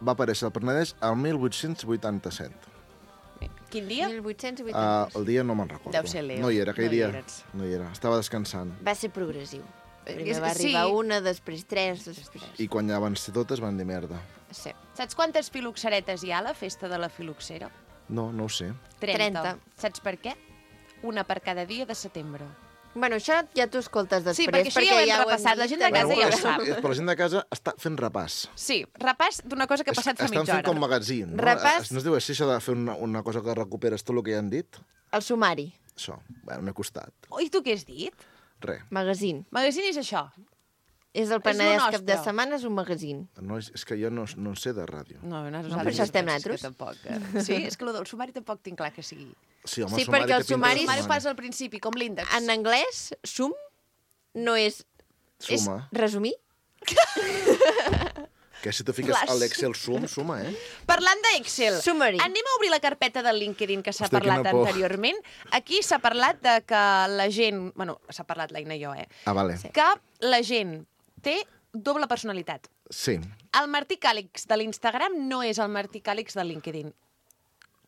va aparèixer el Penedès al mil vuit-cents vuitanta-set. Bé, quin dia? mil vuit-cents Uh, vuitanta. el dia no me'n recordo. Deu ser Leo. No hi era, aquell No hi dia. eres. No hi era. Estava descansant. Va ser progressiu. Primer És- va sí. arribar una, després tres, després... I quan ja van ser totes van dir merda. Sí. Saps quantes filoxeretes hi ha a la festa de la filoxera? No, no ho sé. trenta. Saps per què? Una per cada dia de setembre. Bueno, això ja t'ho escoltes després. Sí, perquè això ja ho hem repassat, la gent de casa també. ja ho és, sap. és, però la gent de casa està fent repàs. Sí, repàs d'una cosa que ha passat fa Estan mitja fent hora. com magazín. No? Repàs. No es diu així, això de fer una, una cosa que recuperes tot el que ja han dit? El sumari, Això. Bueno, m'he costat. Oh, i tu què has dit? Res. magazín. Magazine és això. És el lo Penedès cap de nostre. setmana, és un magazín. No, és, és que jo no, no en sé de ràdio. No, no, per això estem nosaltres. Tampoc, eh? Sí, és que el del sumari tampoc tinc clar que sigui. Sí, home, Sí, sumari perquè el té pinta de sumari- El sumari ho sumari. fas al principi, com l'índex. En anglès, sum no és... Suma. És resumir? Que si tu fiques Flash. a l'Excel sum, suma, eh? Parlant d'Excel, Summary. anem a obrir la carpeta del LinkedIn que s'ha Hòstia, parlat quina por. anteriorment. Aquí s'ha parlat de que la gent... Bueno, s'ha parlat l'Aina i jo, eh? Ah, vale. Que la gent té doble personalitat. Sí. El Martí Càlix de l'Instagram no és el Martí Càlix del LinkedIn.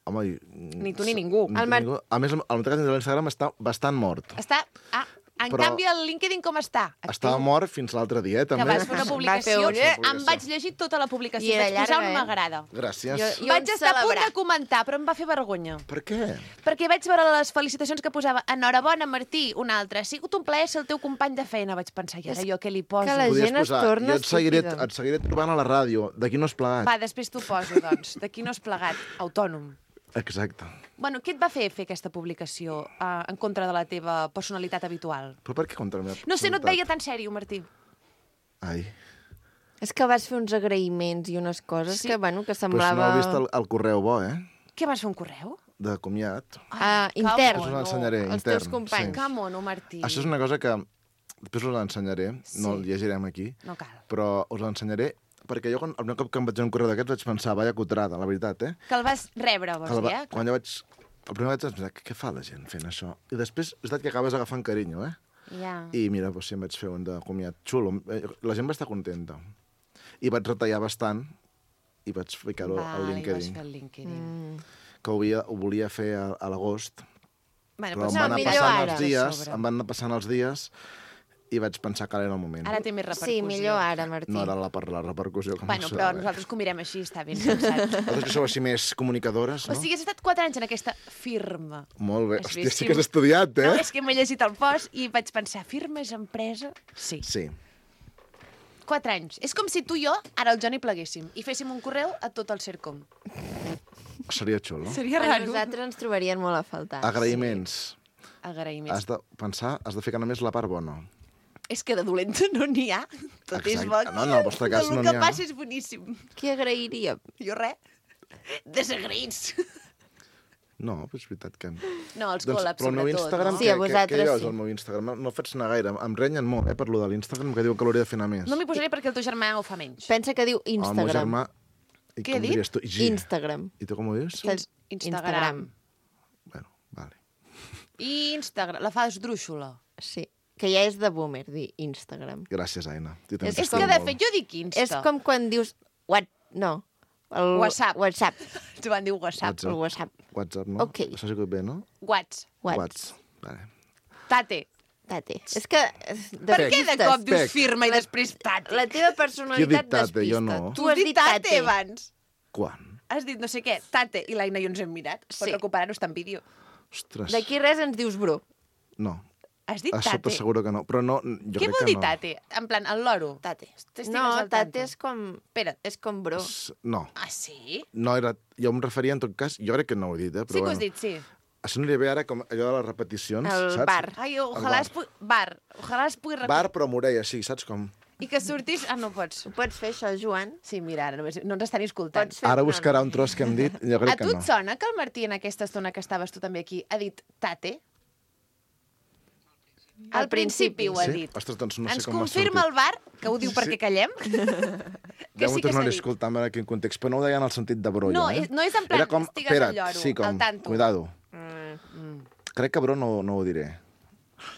Home, i... Ni tu ni ningú. Ni El tu Mar- ni ningú. A més, el meu de l'Instagram està bastant mort. Està... Ah, en Però- canvi, el LinkedIn com està? Actiu. Estava mort fins l'altre dia, eh, Que també. vas fer una Va publicació. fer un- Em vaig llegir tota la publicació. I era Vaig posar llarga, un eh? m'agrada. Gràcies. Jo- jo- Vaig en estar a punt celebrar. de comentar, però em va fer vergonya. Per què? Perquè vaig veure les felicitacions que posava enhorabona, Martí, un altre. Ha sigut un plaer ser el teu company de feina. Vaig pensar, i ara jo què li poso? que la Podies gent es posar, torna jo et seguiré, estúpida. et seguiré trobant a la ràdio. D'aquí no has plegat. Va, després t'ho poso, doncs. D'aquí no has plegat. Autònom. Exacte. Bueno, què et va fer fer aquesta publicació uh, en contra de la teva personalitat habitual? Però per què contra la meva No sé, no et personalitat? veia tan sèrio, Martí. Ai. És que vas fer uns agraïments i unes coses Sí. que, bueno, que Però si semblava... no heu vist el, el correu bo, eh? Què vas fer, un correu? De comiat. Ah, que intern. Us mono. l'ensenyaré, Els intern. teus companys. Que mono, Martí. Això és una cosa que després us l'ensenyaré, no Sí. el llegirem aquí, No cal. però us l'ensenyaré perquè jo, quan, el primer cop que em vaig fer un correu d'aquests, vaig pensar, vaya cutrada, la veritat, eh? Que el vas rebre, vols Que el dir, va- eh? Quan jo vaig... El primer vaig pensar, què, què fa la gent fent això? I després, és veritat que acabes agafant carinyo, eh? Ja. I mira, doncs, sí, em vaig fer un de comiat xulo. Eh, La gent va estar contenta. I vaig retallar bastant i vaig ficar-ho al Vale, i vas LinkedIn. fer el LinkedIn. Mm. Que ho, havia, ho volia fer a, a l'agost, Bueno, però però em no, van anar millor passant ara. els dies, em van anar passant els dies i vaig pensar que ara era el moment. Ara té més repercussió. Sí, millor ara, Martí. No era la, per la repercussió que Bueno, m'ho però sonava. nosaltres que ho mirem així, està ben pensat. Vosaltres que sou així més comunicadores, no? O sigui, has estat quatre anys en aquesta firma. Molt bé. Has Hòstia, vist sí si- que has estudiat, eh? No, és que m'he llegit el post i vaig pensar, firma és empresa? Sí. Sí. Quatre anys. És com si tu i jo, ara el Johnny, pleguéssim i féssim un correu a tot el Cercom. Seria xulo. Seria A raro. nosaltres ens trobarien molt a faltar. Agraïments. Agraïments. Has de pensar, has de ficar només la part bona. És que de dolenta no n'hi ha. Tot és Exacte. bo. No, en el vostre cas Tot no el n'hi que ha. passa és boníssim. Qui agrairíem? Jo res. Desagraïts. No, però és veritat que... No, els Doncs, col·labs, però el meu sobretot. Instagram, no? Sí, què, a què, vosaltres què hi ha sí. al meu Instagram? No, no faig anar gaire. Em renyen molt, eh, per lo de l'Instagram, que diu que l'hauria de fer anar més. No m'hi posaré perquè el teu germà ho fa menys. Pensa que diu El meu Instagram. germà... I Què he com dit? diries tu? G. Instagram. I tu com ho dius? Saps? Instagram. Bueno, vale. I Instagram. La fas drúixola. Sí, que ja és de boomer, dir Instagram. Gràcies, Aina. Jo també És És t'estimo que, de molt. fet, jo dic Insta. És com quan dius... What? No. El... WhatsApp. WhatsApp. Tu van dir WhatsApp. El WhatsApp. WhatsApp, no? Ok. Això sí que bé, no? Whats. What? Whats. Vale. Tate. Tate. És que... eh, Per què de cop dius Pec. firma i La- després tate? La teva Qui ha personalitat dit tate? Jo despista. no. Tu has dit tate. abans. Quan? Has dit no sé què, tate, i l'Aina i jo ens hem mirat. Pots Sí. recuperar-ho, està en vídeo. Ostres. D'aquí res ens dius bro. No. Has dit A tate. sota seguro que no. Però no, jo Què crec vol que dir no. tate? En plan, el loro. Tate. T'estigues No, al tanto. tate és com... Espera't. És com bro. S- No. Ah, sí? No era... Jo em referia, en tot cas, jo crec que no ho he dit, eh? Però Sí que ho bueno. has dit, sí. Això aniria bé ara com allò de les repeticions, El saps? bar. Ai, El ojalà bar. es pugui... Bar. Ojalà es pugui recuperar. Bar, però amb orella, sí, saps com? I que sortis... Ah, no pots. Ho pots fer, això, Joan? Sí, mira, ara només... no ens estan escoltant. Pots fer... Ara no, buscarà no. un tros que hem dit, jo A crec que tu no. et sona que el Martí, en aquesta estona que estaves tu també aquí, ha dit tate? Al principi ho ha Sí? dit. Ostres, doncs no Ens sé com m'ha confirma el sortit. bar, que ho diu Sí. perquè callem, Ja que m'ho sí que s'ha tornaré a dit. escoltar en quin context, però no ho deia en el sentit de brolla, No, eh? és- no és en plan, Era com, estigues al espera't, lloro, sí, com, al tanto. cuidado. Mm. Crec que bro no, no ho diré.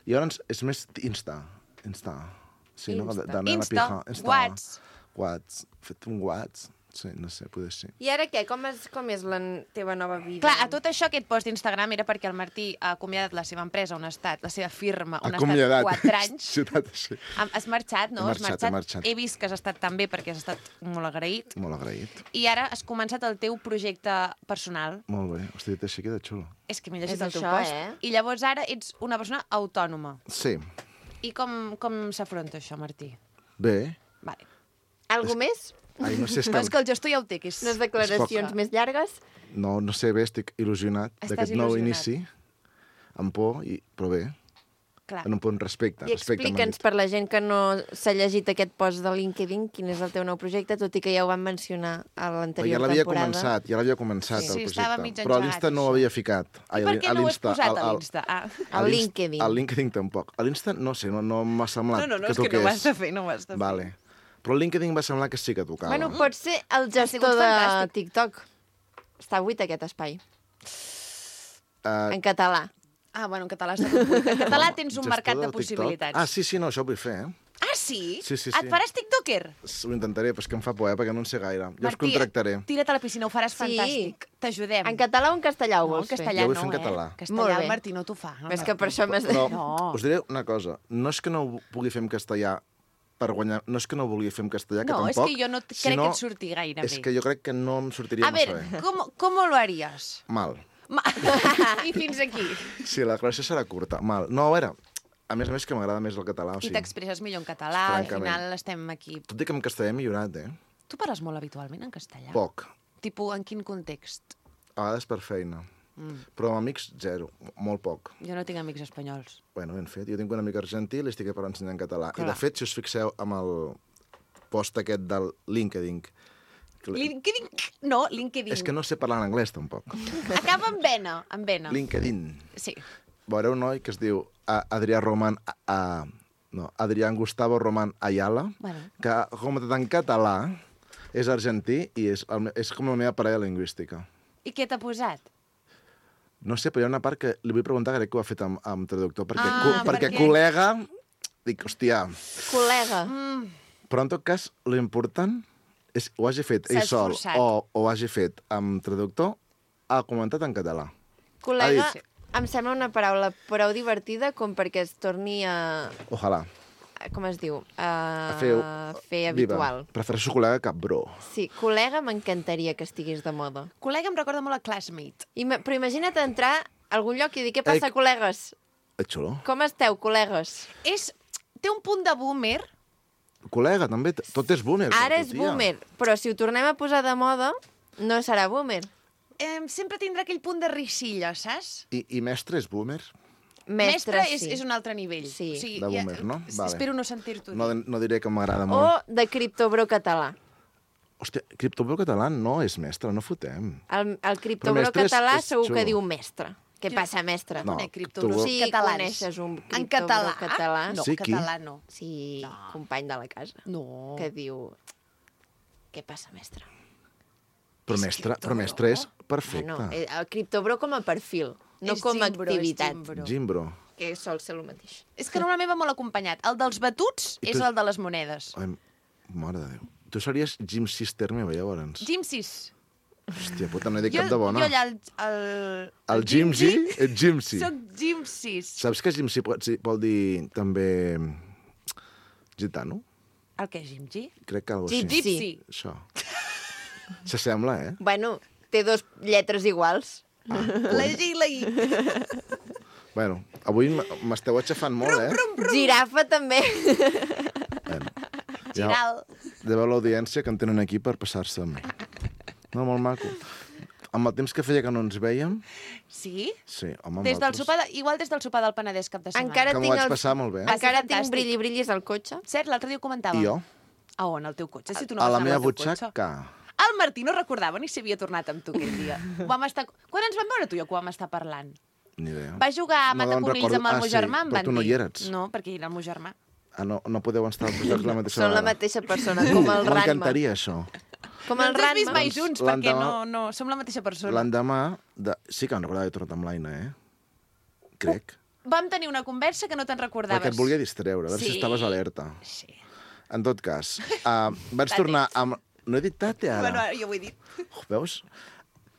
I llavors és més Insta. Insta. Sí, no? Insta. De, de Insta, Insta. Whats. Whats. Fet un Whats. Sí, no sé, poder ser. I ara què? Com és, com és la n- teva nova vida? Clar, a tot això, aquest post d'Instagram era perquè el Martí ha acomiadat la seva empresa on ha estat, la seva firma, on ha Acomiadat. estat quatre anys. Ciutat així. Ha- Has marxat, no? He Has marxat, he marxat. He vist que has estat tan bé perquè has estat molt agraït. Molt agraït. I ara has començat el teu projecte personal. Molt bé. Hosti, dit així queda xulo. És que m'he llegit És el teu això, post. eh? I llavors ara ets una persona autònoma. Sí. I com, com s'afronta això, Martí? Bé. Vale. Algo més? Ai, no sé, és No, que... és que el gestor ja ho té, que és... Unes declaracions més llargues? No, no sé bé, estic il·lusionat Estàs d'aquest nou il·lusionat. inici. Amb por, i... però bé. Clar. En un punt respecte. I respecte m'han explica'ns dit. per la gent que no s'ha llegit aquest post de LinkedIn quin és el teu nou projecte, tot i que ja ho vam mencionar a Però l'anterior ja l'havia temporada. començat, ja l'havia començat, Sí, el sí, projecte. estava mig Però a engegat, l'Insta no ho això. havia ficat. I per què no ho has posat a l'Insta? Ah. A LinkedIn. Al LinkedIn tampoc. A l'Insta no sé, no, no m'ha semblat No, no, no, que és que no toqués. ho has de fer, no ho has de fer. Vale. Però el LinkedIn va semblar que sí que tocava. Bueno, pots ser el sigut gestor de fantàstic. TikTok. Està buit aquest espai. uh, En català. Ah, bueno, en català està tot buit. En català tens un gestor mercat de del TikTok. possibilitats. Ah, sí, sí, no, això ho vull fer, eh? Ah, sí? Sí, sí, Et sí. faràs tiktoker? Ho intentaré, però és que em fa por, eh, perquè no en sé gaire. Jo us Martí, contractaré. tira't a la piscina, ho faràs Sí. fantàstic. T'ajudem. En català o en castellà ho No, en vols fer? castellà Jo vull no, fer en eh? català. Castellà Molt el bé. Martí no t'ho fa. No, És no, que per això m'has de... No, No. us diré una cosa. No és que no ho pugui fer en castellà per guanyar... No és que no ho vulgui fer en castellà, que No, és tampoc. que jo no crec sinó que et surti gaire És bé. que jo crec que no em sortiria A massa ver, bé. ¿cómo, ¿cómo lo harías? Mal. Ma... I fins aquí. Sí, la declaració serà curta. Mal. No, a veure, a més a més que m'agrada més el català. O I sigui, t'expresses millor en català, al Francament. final estem aquí. tot i que en castellà he millorat, eh? Tu parles molt habitualment en castellà? Poc. Tipo, en quin context? A vegades per feina. Mm. Però amb amics, zero. Molt poc. Jo no tinc amics espanyols. Bueno, ben fet. Jo tinc un amic argentí i li estic per ensenyar en català. Clar. I, de fet, si us fixeu amb el post aquest del LinkedIn... que li- LinkedIn... No, LinkedIn. És que no sé parlar en anglès, tampoc. Acaba amb vena, amb vena. LinkedIn. Sí. Veureu un noi que es diu a- Adrià Roman... A, a, no, Adrián Gustavo Roman Ayala, Bueno. que, com en català, és argentí i és, el, me- és com la meva parella lingüística. I què t'ha posat? No sé, però hi ha una part que li vull preguntar, crec que ho ha fet amb, amb traductor, perquè, Ah, co perquè perquè- col·lega... Dic, hòstia... Col·lega. Mm. Però en tot cas, l'important és ho hagi fet S'ha ell sol esforçat. o ho hagi fet amb traductor, ha comentat en català. Col·lega, Ha dit- em sembla una paraula prou divertida com perquè es torni a... Ojalà. Com es diu? A, A fer, fer habitual. Viva. Prefereixo col·lega que bro. Sí, col·lega m'encantaria que estigués de moda. Col·lega em recorda molt a Classmate. I, però imagina't entrar a algun lloc i dir, què passa, Ei. col·legues? És xulo. Com esteu, col·legues? És... Té un punt de boomer. Col·lega, també. t- Tot és boomer. Ara per és tu, tia. boomer, però si ho tornem a posar de moda, no serà boomer. Eh, sempre tindrà aquell punt de risilla, saps? I, I mestre és boomer? Mestre, Mestre és, sí. és un altre nivell. Sí. O sigui, De ja- boomer, no? s- Vale. Espero no sentir-t'ho No, dir. no diré que m'agrada O molt. de criptobro català. Hòstia, criptobro català no és mestre, no fotem. El, el criptobro mestre és- català és segur xulo. que diu mestre. Què passa, mestre? No, Conec criptobros tu- Sí, catalans. coneixes un En criptobro català? català? No, Sí, qui? català no. Sí, company de la casa. No. Que diu... Què passa, mestre? Però És mestre, criptobro. però mestre és perfecte. Ah, no, eh, el criptobro com a perfil, no És com a gimbro, és activitat, gimbro. Gimbro. que sol ser el mateix. És que normalment va molt acompanyat. El dels batuts I és tu- el de les monedes. Ai, mare de Déu. Tu series Jim Sister meva, llavors. Jim sis. Hòstia puta, no he dit Jo, cap de bona. jo allà... El, el, El Jimsy, el Jimsy. Soc Jim sis. Saps que Jimsy pot, sí, vol dir també gitano? El què, Jim G? Crec que algo Gypsy. així. Gypsy. Això. S'assembla, eh? Bueno, té dos lletres iguals. La G i la I. Bueno, avui m- m'esteu aixafant molt, eh? Girafa també. Bueno, Giral. de veure l'audiència que en tenen aquí per passar-se amb mi. No, molt maco. Amb el temps que feia que no ens veiem, Sí? sí, home, amb Des del altres- sopar de, igual des del sopar del Penedès cap de setmana. Encara Que m'ho tinc vaig el... passar molt bé. Va ser Encara tinc fantàstic. brilli-brillis al cotxe. Cert, l'altre dia ho comentava. I jo, A on? Al teu cotxe? Si tu no a vas la anar meva amb el teu cotxe. butxaca. El Martí no recordava ni si havia tornat amb tu aquell dia. Ho vam estar... Quan ens vam veure tu i jo que ho vam estar parlant? Ni idea. Va jugar a No me'n Mataconills recordo. amb el Ah, meu sí, germà, em però van tu no dir. hi eres. No, perquè era el meu germà. Ah, no, no podeu estar als llocs la mateixa Són la vegada. mateixa persona, com el Ranma. M'encantaria, això. Com No el ens has vist Ranma. mai Doncs junts, perquè l'endemà- no, no, som la mateixa persona. L'endemà... De... Sí que em recordava que he tornat amb l'Aina, eh? Crec. Vam tenir una conversa que no te'n recordaves. Perquè et volia distreure, a veure si Sí. estaves alerta. Sí. En tot cas, uh, vaig Tate. tornar amb... No he dit tate, ara. Bueno, jo ho he dit. Oh, veus?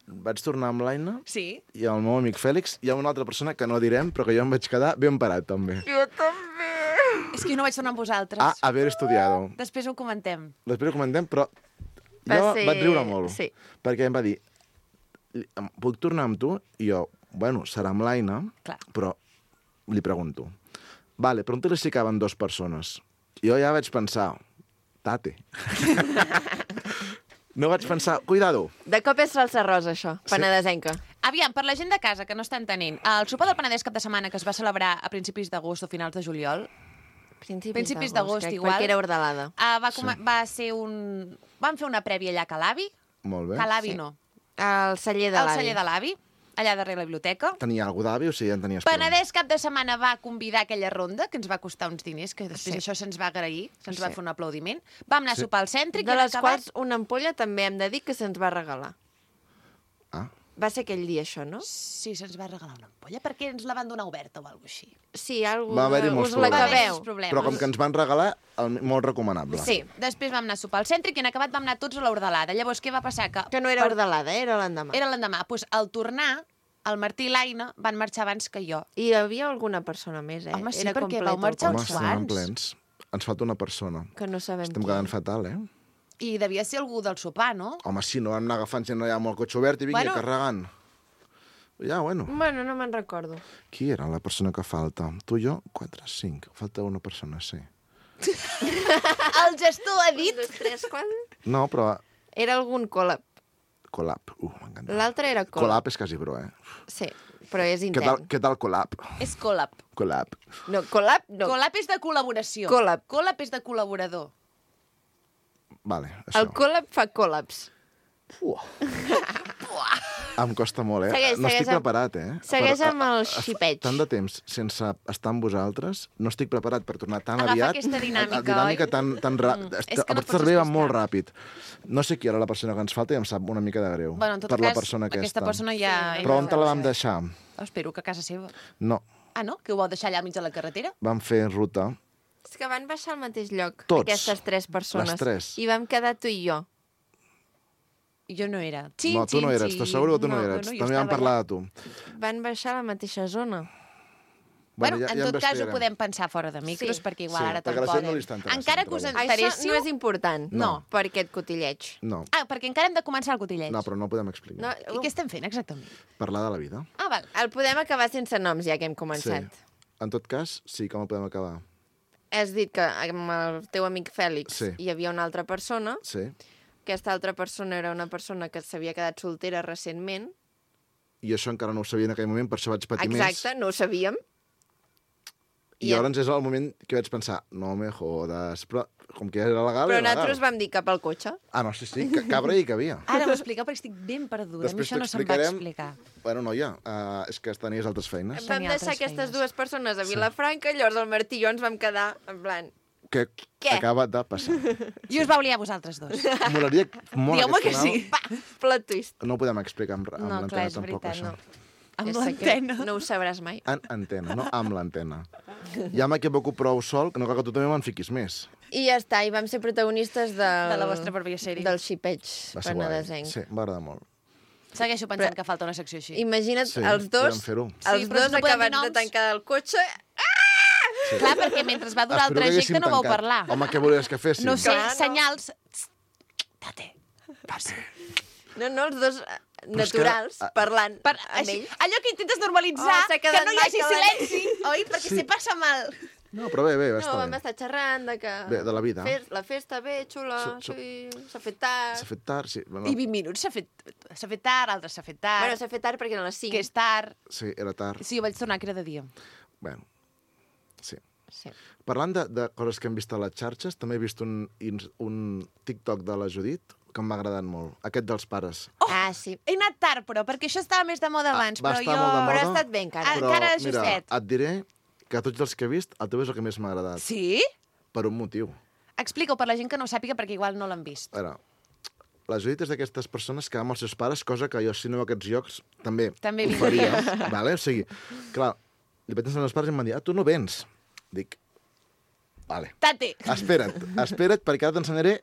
Vaig tornar amb l'Aina Sí. i el meu amic Fèlix. Hi ha una altra persona que no direm, però que jo em vaig quedar ben parat, també. Jo també. És que jo no vaig tornar amb vosaltres. A haver estudiado. Després ho comentem. Després ho comentem, però Va jo ser- vaig riure molt. sí. Perquè em va dir, puc tornar amb tu? I jo, bueno, serà amb l'Aina, Clar. però li pregunto. Vale, pregunta-li si caben dues persones. I jo ja vaig pensar, tate. No vaig pensar, cuidado. De cop és salsa rosa, això, penedesenca. Aviam, per la gent de casa que no està entenent, el sopar del Penedès cap de setmana que es va celebrar a principis d'agost o finals de juliol, Principis, Principis d'agost, crec, igual. Perquè era ordalada. uh, va, sí. va ser un... Vam fer una prèvia allà a Calavi. Molt bé. Calavi Sí. no. Al celler de Al l'avi. celler de l'avi, allà darrere la biblioteca. Tenia algú d'avi o sigui, ja en tenies prou? Penedès cap de setmana va convidar aquella ronda, que ens va costar uns diners, que després Sí. això se'ns va agrair, se'ns Sí. va fer un aplaudiment. Vam anar Sí. a sopar al cèntric De i en les acabat... quals una ampolla també hem de dir que se'ns va regalar. Ah, Va ser aquell dia, això, no? Sí, se'ns va regalar una ampolla, perquè ens la van donar oberta o alguna cosa així. Sí, algú Va haver-hi molts us la problemes. cabeu. Molts problemes. però com que ens van regalar, el, molt recomanable. Sí, Després vam anar a sopar al cèntric i en acabat vam anar tots a l'Hordelada. Llavors, què va passar? Que, que no era ordalada, era l'endemà. Era l'endemà. Pues, al tornar, el Martí i l'Aina van marxar abans que jo. I hi havia alguna persona més, eh? Home, sí, era perquè complet vau el marxar Home, cotxe. els estem quants? plens. Ens falta una persona. Que no sabem Estem qui. quedant fatal, eh? I devia ser algú del sopar, no? Home, sí, no vam anar agafant gent allà amb el cotxe obert i vingui Bueno. bueno. carregant. Ja, bueno. Bueno, no me'n recordo. Qui era la persona que falta? Tu i jo? Quatre, cinc. Falta una persona, sí. El gestor ha dit... Un, dos, tres, quatre... No, però... Era algun col·lab. Collab. Uh, m'encanta. L'altre era col·lab. Collab és quasi bro, eh? Sí, però és Què tal, intern. què tal collab? És col·lab. Collab. No, col·lab no. Col·lab és de col·laboració. Col·lab. Col·lab és de col·laborador. Vale, això. El col·lab fa col·labs. Uah. Em costa molt, eh? Segueix, no segueix estic amb- preparat, eh? segueix Per- amb el a- a- xipeig. Tant de temps sense estar amb vosaltres, no estic preparat per tornar tan Agafar aviat. aquesta dinàmica, a- a dinàmica oi? tan, tan ra... Mm, Mm. és que no el pots cervell va explicar. molt ràpid. No sé qui era la persona que ens falta i em sap una mica de greu. Bueno, en tot per cas, la persona aquesta. aquesta persona ja... Però on te la vam deixar? Espero que a casa seva. No, Ah, no? Que ho vau deixar allà al mig de la carretera? vam fer ruta. És que van baixar al mateix lloc, Tots. aquestes tres persones. Les tres. I vam quedar tu i jo. I jo no era. Xin, No, tu no xin, eres, xin. t'asseguro que tu no, No, eres. bueno, jo També vam estava parlar allà. de tu. Van baixar a la mateixa zona. Bueno, en tot cas ho investigarem. podem pensar fora de micros, Sí. perquè igual Sí, ara perquè a la gent tampoc... no li està interessant, Encara que us però Això interessiu... no és important No. per aquest cotilleig. No, Ah, perquè encara hem de començar el cotilleig. no, però no ho podem explicar. No, I què estem fent exactament? Parlar de la vida. Ah, val. el podem acabar sense noms, ja que hem començat. Sí. En tot cas, sí, com el podem acabar? Has dit que amb el teu amic Fèlix Sí. hi havia una altra persona. Sí. Aquesta altra persona era una persona que s'havia quedat soltera recentment. I això encara no ho sabia en aquell moment, per això vaig patir més. Exacte, no ho sabíem. I llavors és el moment que vaig pensar, no me jodes, però com que ja era legal, Però era legal. nosaltres vam dir cap al cotxe. Ah, no, sí, sí, que cabra i que havia. Ara m'ho expliqueu perquè estic ben perduda. Després a mi això no se'm va t'explicarem. explicar. Bueno, noia, uh, és que tenies altres feines. Vam Tenia deixar altres aquestes feines. dues persones a Vilafranca, llavors el Martí i jo ens vam quedar en plan... Què, Què? acaba de passar? I us vau liar vosaltres dos. Molaria molt Digueu-me aquest que final. sí. Pa! Plot twist. No ho podem explicar amb, amb No, l'antena clar, és tampoc, veritat, això. no. Amb És secret. l'antena. No ho sabràs mai. En antena, no amb l'antena. Ja m'equivoco prou sol, que no cal que tu també me'n fiquis més. I ja està, i vam ser protagonistes del... De la vostra pròpia sèrie. Del xipeig Va ser guai. penedesenc. Sí, em va agradar molt. Segueixo pensant que falta una secció així. Imagina't Sí, els dos, podem fer-ho. els Sí, però dos no podem dir acabats de noms. tancar el cotxe. Clar, perquè mentre va durar el Espero que trajecte haguéssim no vau tancat. parlar. Home, què volies que féssim? No sé, Clar, no. senyals... Tate. Passi. No, no, els dos eh, Però és que- naturals, ah, parlant Per, amb així, ells. allò que intentes normalitzar, Oh, s'ha que quedat no hi hagi maca la- silenci, oi? Perquè Sí. se passa mal. No, però bé, bé, va No, estar vam bé. estar xerrant de que... Bé, de la vida. Fes, la festa bé, xula, Su- su- sí, s'ha fet tard. S'ha fet tard, sí. Bueno, I vint minuts s'ha fet, s'ha fet tard, altres s'ha fet tard, Bueno, s'ha fet tard perquè eren les cinc. que és tard. sí, era tard. Sí, jo vaig tornar que era de dia. Bueno, sí. Sí. Parlant de, de coses que hem vist a les xarxes, també he vist un, ins- un TikTok de la Judit que m'ha agradat molt. Aquest dels pares. Oh! Ah, sí. He anat tard, però, perquè això estava més de moda abans, Ah, va però estar jo... molt de moda. Però ha estat bé encara. Ah, Però, encara mira, justet. et diré que a tots els que he vist, el teu és el que més m'ha agradat. Sí? Per un motiu. Explica-ho per la gent que no ho sàpiga, perquè igual no l'han vist. A veure, la Judit és d'aquestes persones que ama els seus pares, cosa que jo, si no a aquests llocs, també, També ho vindria. faria. Vale? O sigui, clar, li vaig ensenyar als pares i em van dir, ah, tu no vens. Dic, vale. Tate. Espera't, espera't, perquè ara t'ensenyaré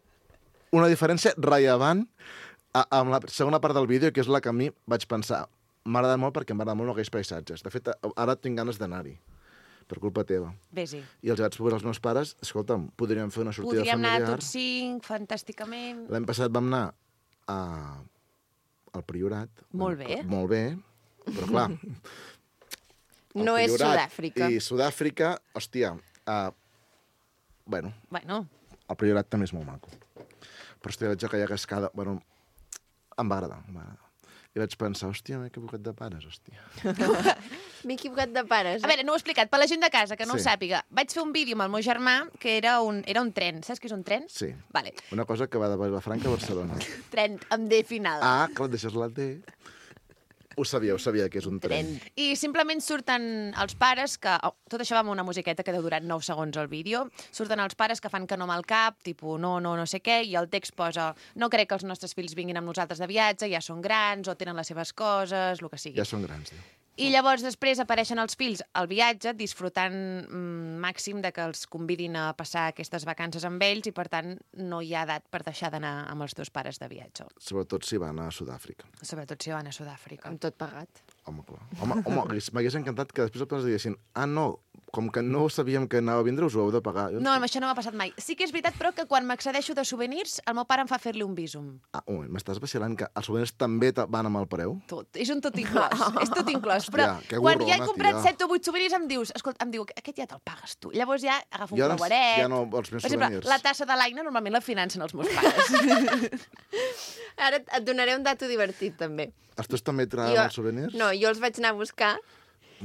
una diferència rellevant a, amb la segona part del vídeo, que és la que a mi vaig pensar. M'ha agradat molt perquè m'agrada molt aquells paisatges. De fet, ara tinc ganes d'anar-hi, per culpa teva. Vés-hi. I els vaig proposar als meus pares, escolta'm, podríem fer una sortida Podríem anar familiar. tots cinc, fantàsticament. L'any passat vam anar a... al Priorat. Molt bé. Molt bé, però clar... el No és Priorat Sud-àfrica. I Sud-àfrica, hòstia, uh, bueno, Bueno, el Priorat també és molt maco. Però, hòstia, veig aquella cascada... Bueno, em va agradar, em va agradar. I vaig pensar, hòstia, m'he equivocat de pares, hòstia. M'he equivocat de pares. a veure, no ho he explicat. Per la gent de casa, que no Sí. ho sàpiga, vaig fer un vídeo amb el meu germà que era un, era un tren. Saps què és un tren? Sí. Vale. Una cosa que va de Vilafranca a Barcelona. Tren amb D final. Ah, clar, deixes la D. Ho sabia, ho sabia, que és un tren. I simplement surten els pares que... Oh, tot això va amb una musiqueta que deu durar nou segons el vídeo. Surten els pares que fan que no amb el cap, tipus no, no, no sé què, i el text posa no crec que els nostres fills vinguin amb nosaltres de viatge, ja són grans, o tenen les seves coses, el que sigui. Ja són grans, diu. I llavors després apareixen els fills al viatge disfrutant mm, màxim de que els convidin a passar aquestes vacances amb ells i, per tant, no hi ha edat per deixar d'anar amb els teus pares de viatge. Sobretot si van a Sud-àfrica. Sobretot si van a Sud-àfrica. Amb tot pagat. Home, clar. Home, home hagués- m'hagués encantat que després els pares diguessin ah, no, com que no sabíem que anava a vindre, us ho heu de pagar. Jo No, amb això no m'ha passat mai. Sí que és veritat, però, que quan m'accedeixo de souvenirs, el meu pare em fa fer-li un bísum. Ah, un moment, m'estàs vacilant que els souvenirs també te- van amb el preu? Tot. És un tot inclòs. és tot inclòs. Però Hòstia, que quan ja he gorrona, comprat tia. set o vuit souvenirs em dius, escolta, em diu, aquest ja te'l pagues tu. Llavors ja agafo un Jo ara creueret. ja no vols més Per exemple, souvenirs. la tassa de l'Aina normalment la financen els meus pares. Ara et donaré un dato divertit, també. Els teus també trauen els souvenirs? No, jo els vaig anar a buscar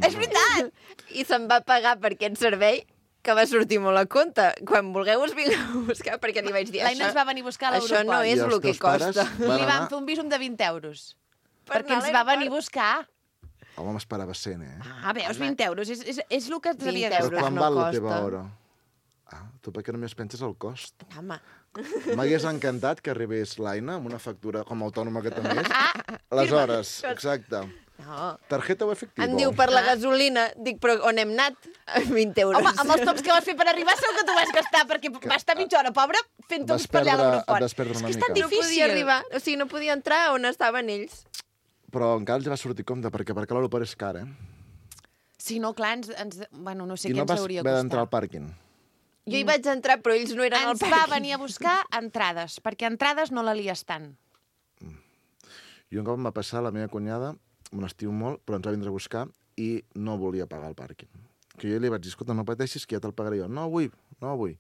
És veritat! i se'm va pagar per aquest servei que va sortir molt a compte. Quan vulgueu us vinc a buscar, perquè li vaig dir L'Aina ens va venir a buscar a això no l'aeroport. I és els el que teus pares costa. van Li vam anar... fer un bísum de vint euros. Per perquè anar ens a va venir a l'aeroport. buscar. Home, m'esperava cent, eh? Ah, veus, vint euros. És, és, és el que ens havia vint Però euros. gastat. quan no val la costa. teva hora? Ah, tu perquè només penses el cost. Home, M'hagués encantat que arribés l'Aina amb una factura com a autònoma que també és. Ah, Les hores, exacte. no. Tarjeta o efectivo? Em diu per la gasolina. Dic, però on hem anat? vint euros. Home, amb els tops que vas fer per arribar segur que tu vas gastar, perquè va estar mitja hora, pobra, fent Vas tops per allà a perdre- l'aeroport. et vas perdre una És que és tan mica. No difícil. podia arribar, o sigui, no podia entrar on estaven ells. Però encara els va sortir compte, perquè perquè l'aeroport és car, eh? Sí, no, clar, ens, ens, bueno, no sé I què no ens vas hauria haver d'entrar costat. al pàrquing. Jo hi vaig entrar, però ells no eren al Ens pàrquing. va venir a buscar entrades, perquè entrades no la lies tant. I un cop em va passar la meva cunyada, me n'estiu molt, però ens va vindre a buscar i no volia pagar el pàrquing. Que jo li vaig dir, escolta, no pateixis, que ja te'l pagaré jo. No vull, no vull.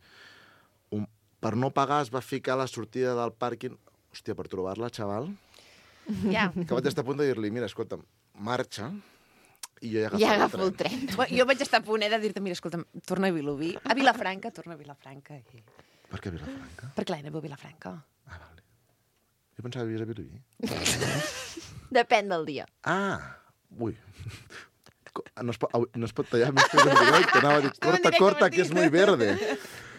Un, per no pagar es va ficar a la sortida del pàrquing. Hòstia, per trobar-la, xaval, Ja. que vaig estar a punt de dir-li, mira, escolta, marxa, i jo ja agafo, I agafo el tren. Bueno, jo vaig estar a punt eh, de dir-te, mira, escolta'm, torna a Vilobí, a Vilafranca, torna a Vilafranca. I... Per què a Vilafranca? Perquè l'Aina viu a Vilafranca. Ah, vale. Jo pensava que vivies a Vilobí. Depèn del dia. Ah, ui. Co- No es, pot, au, no es pot tallar més que un directe. Anava a dir, corta, directe, corta, Martí. que és muy verde.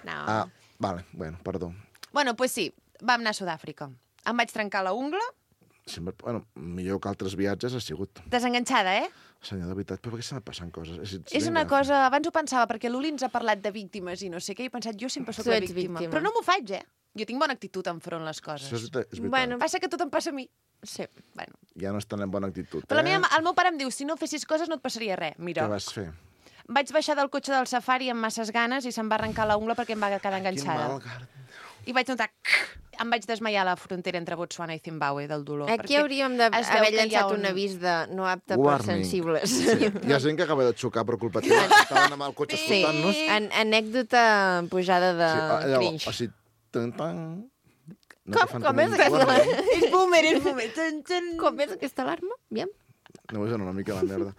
No. Ah, vale, bueno, perdó. Bueno, pues sí, vam anar a Sud-àfrica. Em vaig trencar la ungla, Sempre, bueno, millor que altres viatges ha sigut. desenganxada, eh? Senyor, de veritat, però per què se me passen coses? És, És una cosa... Abans ho pensava, perquè l'Uli ens ha parlat de víctimes i no sé què, i he pensat, jo sempre sóc Tu la ets víctima. víctima. Però no m'ho faig, eh? Jo tinc bona actitud enfront les coses. Això és, veritat, és veritat. Bueno, Passa que tot em passa a mi. sí. Bueno. Ja no estan en bona actitud, Però la eh? meva, el meu pare em diu, si no fessis coses no et passaria res. Mira, Què vas fer? vaig baixar del cotxe del safari amb masses ganes i se'm va arrencar la ungla perquè em va quedar Quin enganxada. mal, Gar- I vaig notar... Em vaig desmaiar a la frontera entre Botswana i Zimbabue del dolor. Aquí perquè hauríem es veu d'haver que hi ha llançat un- un avís de no apte per Warning. sensibles. Sí. Hi ha gent que acaba de xocar per culpa teva. Estaven amb el cotxe Sí, escoltant-nos. An anècdota pujada de Sí, allò, cringe. o sigui, tan, tan... No Com- te fan com és un aquesta? warning. És boomer, és boomer. Tan, tan. Com és aquesta alarma? Aviam. No, és una mica la merda.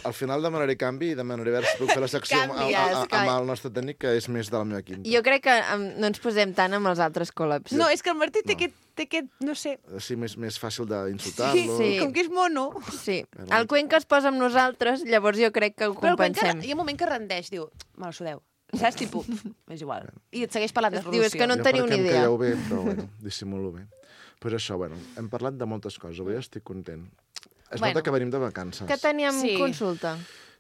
Al final demanaré canvi i demanaré a veure si puc fer la secció amb, amb, Canvies, amb, amb el nostre tècnic, que és més de la meva quinta. Jo crec que um, no ens posem tant amb els altres col·labs. No, és que el Martí té, No. aquest, té aquest, no sé... Així més, més fàcil d'insultar-lo. Sí. Com que és mono. Sí. El Cuenca es posa amb nosaltres, llavors jo crec que ho Però el Cuenca, compensem. hi ha un moment que rendeix, diu, me la sudeu. Saps? Tipus, és igual. I et segueix parlant de Diu, és que no en Jo teniu perquè ni em idea. calleu bé, però bueno, dissimulo bé. Pues això, bueno, hem parlat de moltes coses, avui estic content. Es Bueno. nota que venim de vacances. Que teníem Sí. consulta.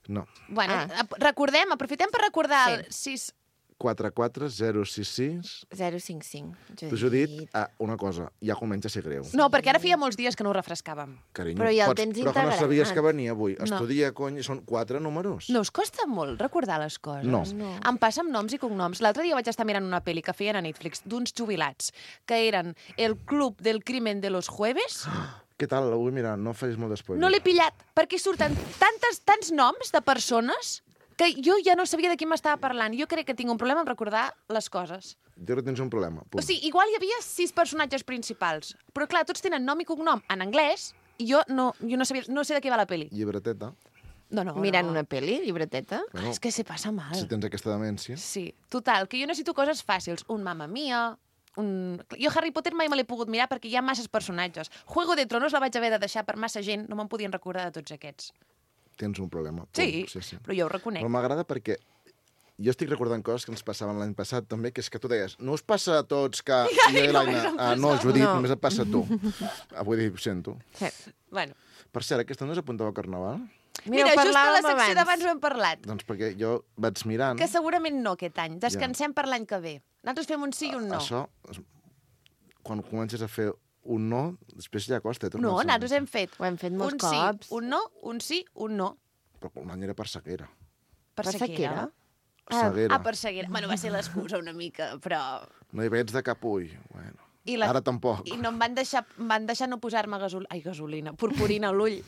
No. Bueno, Ah. ap- recordem, aprofitem per recordar el sis... quatre quatre zero sis sis. zero cinc cinc. T'ho he dit ah, una cosa, ja comença a ser greu. No, perquè ara feia molts dies que no ho refrescàvem. Carinyo, Però ja el pots- tens Però que no integrat. sabies que venia avui. No. Estudia, cony, són quatre números. No us costa molt recordar les coses? No. No. Em passa amb noms i cognoms. L'altre dia vaig estar mirant una pel·li que feien a Netflix d'uns jubilats, que eren El Club del Crimen de los Jueves. Què tal? La vull mirar, no facis molt d'espoiler. No l'he pillat, perquè surten tantes, tants noms de persones que jo ja no sabia de qui m'estava parlant. Jo crec que tinc un problema en recordar les coses. Jo crec que tens un problema. Punt. O sigui, igual hi havia sis personatges principals, però clar, tots tenen nom i cognom en anglès, i jo no, jo no, sabia, no sé de què va la pel·li. Llibreteta. No, no, Mirant no. una pel·li, llibreteta. Ah, és que se passa mal. Si tens aquesta demència. Sí, total, que jo necessito coses fàcils. Un Mamma Mia, un... Jo Harry Potter mai me l'he pogut mirar perquè hi ha masses personatges. Juego de Tronos la vaig haver de deixar per massa gent, no me'n podien recordar de tots aquests. Tens un problema. Punt. Sí, sí, sí. però jo ho reconec. Però m'agrada perquè jo estic recordant coses que ens passaven l'any passat també, que és que tu deies, no us passa a tots que... I jo i l'Aina, ah, no, Judit, No. només et passa a tu. Ah, vull dir, ho sento. Sí. Bueno. Per cert, aquesta no s'apuntava al Carnaval? Mira, Mira, ho just a la parlàvem secció abans. d'abans ho hem parlat. Doncs perquè jo vaig mirant... Que segurament no aquest any. Descansem per l'any que ve. Nosaltres fem un sí i un no. Això, es- quan comences a fer un no, després ja costa. eh, tornar No, a ser. nosaltres hem fet Ho hem fet molts un cops. sí, un no, un sí, un no. Però un any era per sequera. Per Per sequera. sequera? Seguera. Ah, per sequera. Bueno, va ser l'excusa una mica, però... No hi veig de cap ull. Bueno. I la... Ara tampoc. I no em van deixar, em van deixar no posar-me gasol... Ai, gasolina, purpurina a l'ull.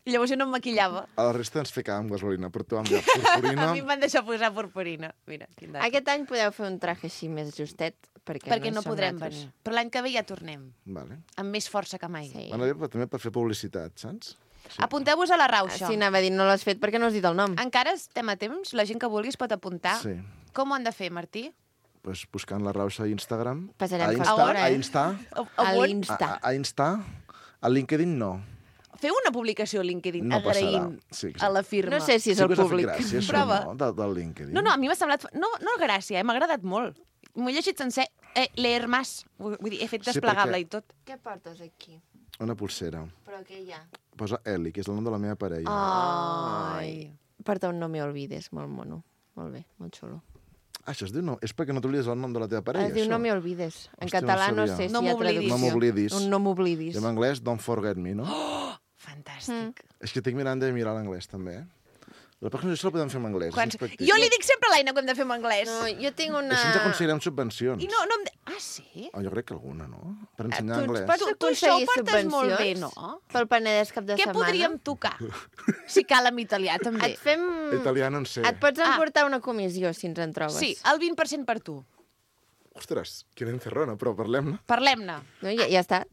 I llavors jo no em maquillava. A la resta ens ficàvem gasolina, però tu amb la purpurina... A mi em van deixar posar purpurina. Mira, quin dat. Aquest any podeu fer un traje així més justet, perquè, Perquè no, no som podrem nosaltres. venir. Però l'any que ve ja tornem, Vale. amb més força que mai. Sí. Bueno, bé, també per fer publicitat, saps? Apunteu-vos a la Ah, rauxa. sí, anava a dir, no l'has fet perquè no has dit el nom. Encara estem a temps, la gent que vulgui es pot apuntar. Sí. Com ho han de fer, Martí? Pues buscant la Rauxa a Instagram. Passarem a Insta, factura, a eh? Insta, A, A on? l'Insta. a, a Insta, a LinkedIn no. feu una publicació a LinkedIn No agraint passarà. Sí, a la firma. No sé si és Sí el que us ha fet públic. gràcia, això, Prova. no? Del, del LinkedIn. No, no, a mi m'ha semblat... No, no gràcia, eh? M'ha agradat molt. M'ho he llegit sencer. Eh, leer más. Vull vull dir, he fet Sí, desplegable perquè- i tot. Què portes aquí? Una pulsera. Però què hi ha? Posa Eli, que és el nom de la meva parella. Ai. Porta un no me olvides, molt mono. Molt bé, molt xulo. Ah, això es diu no. És perquè no t'oblides el nom de la teva parella, Es diu això? no me olvides. En Hòstia, no català no sabia. sé si No hi ha m'oblidis. traducció. No m'oblidis. Un no m'oblidis. I en anglès, don't forget me, no? Fantàstic. És que estic mirant de mirar l'anglès, també, eh? La pròxima això la podem fer en anglès. Quants... és pràctic. Jo li dic sempre a l'Aina que hem de fer en anglès. No, jo tinc una... Així ens aconseguirem subvencions. I no, no em... De... Ah, sí? Oh, jo crec que alguna, no? Per Tu ensenyar ens anglès. pots Tu- tu això ho aconseguir portes molt bé, subvencions no? pel Penedès cap de Què setmana? podríem tocar? Si cal en italià, també. Et fem... Italià no en sé. Et pots Ah. emportar una comissió, si ens en trobes. Sí, el vint per cent per tu. Ostres, quina encerrona, però parlem-ne. Parlem-ne. No, ja, ja està.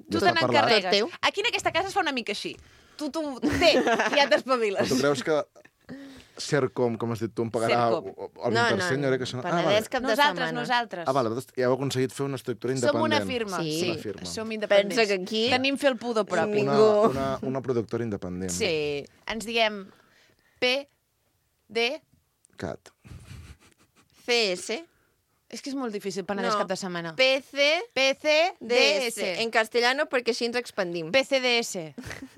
Tu Ja te està parlat. n'encarregues. Tot teu. Aquí en aquesta casa es fa una mica així. Tu, tu, té, ja t'espaviles. Tu creus que Sercom, com has dit tu, em pagarà Sercom. el vint per cent? Jo crec que són... Ah, vale. Penedès cap de Nosaltres, setmana. nosaltres. Ah, vale, vosaltres ja heu aconseguit fer una estructura Som independent. una firma. Sí. Sí, Una firma. som independents. Pensa que aquí- Tenim fer el pudor propi. Una, Ningú. una, una productora independent. Sí. Ens diem P, D... Cat. C S. És que és molt difícil, Penedès No. cap de setmana. P C P, C, D, D S. S. En castellano, perquè així ens expandim. P, C, D, S.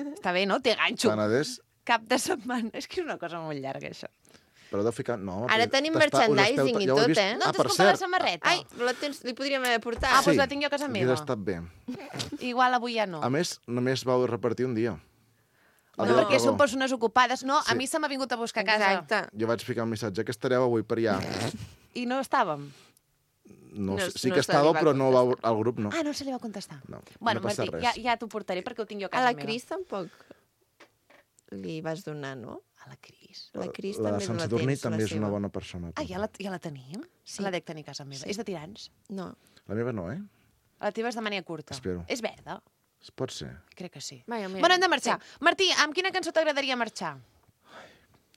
Està bé, no? Té ganxo. Penedès, Cap de setmana. És que és una cosa molt llarga, això. però deu ficar... No, Ara però tenim t'està- us merchandising esteu- i ja ho he tot, vist. eh? No Ah, t'has per comprat la cert. samarreta? Ai, la tens, li podríem haver portat. Ah, doncs la tinc jo a casa Hauria meva. estat bé. Igual avui ja no. A més, només vau repartir un dia. El No, dia del perquè pregó. són persones ocupades. No, a Sí. mi se m'ha vingut a buscar a casa. Exacte. Jo vaig ficar un missatge que estareu avui per allà. I no estàvem. No, No- sé, sí no que se li va estàveu, però no vau, al grup no. Ah, no se li va contestar. No, Bueno, no passa Martí, res. ja, ja t'ho portaré perquè ho tinc jo a A casa la meva. Cris tampoc li vas donar, no? A la Cris. La Cris la també Sant la Sadurní tens, també la és una seva. bona persona. Ah, ja la, ja la tenim? Sí. La dec tenir a casa meva. Sí. És de tirants? No. La meva no, eh? La teva és de màniga curta. Espero. És verda? Es pot ser. Crec que sí. Vaja, mira. Bueno, hem de marxar. Martí, amb quina cançó t'agradaria marxar?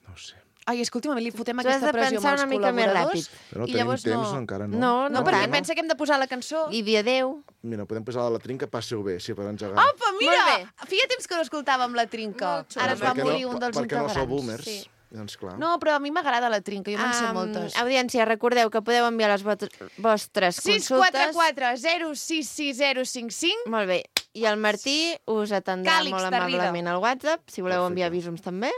No ho sé. Ai, és que últimament li fotem Tu has aquesta de pressió pensar amb els una mica més col·laboradors. Però no I tenim llavors temps no... encara, no? No, No, no perquè tant. pensa que hem de posar la cançó. I dia adeu. Mira, podem posar la trinca, passeu bé, sí, per engegar. Apa, mira! Molt Feia temps que no escoltàvem la trinca. Molt xulo. Ara es va Perquè morir no, un dels perquè no sou integrants. boomers. Sí. Doncs clar. No, però a mi m'agrada la trinca, jo me'n sé Am, moltes. Audiència, recordeu que podeu enviar les vot- vostres sis consultes. quatre quatre zero sis sis zero cinc cinc. Molt bé. I el Martí us atendrà Càlix molt de Riga. amablement al WhatsApp, si voleu Perfecte. enviar visums també.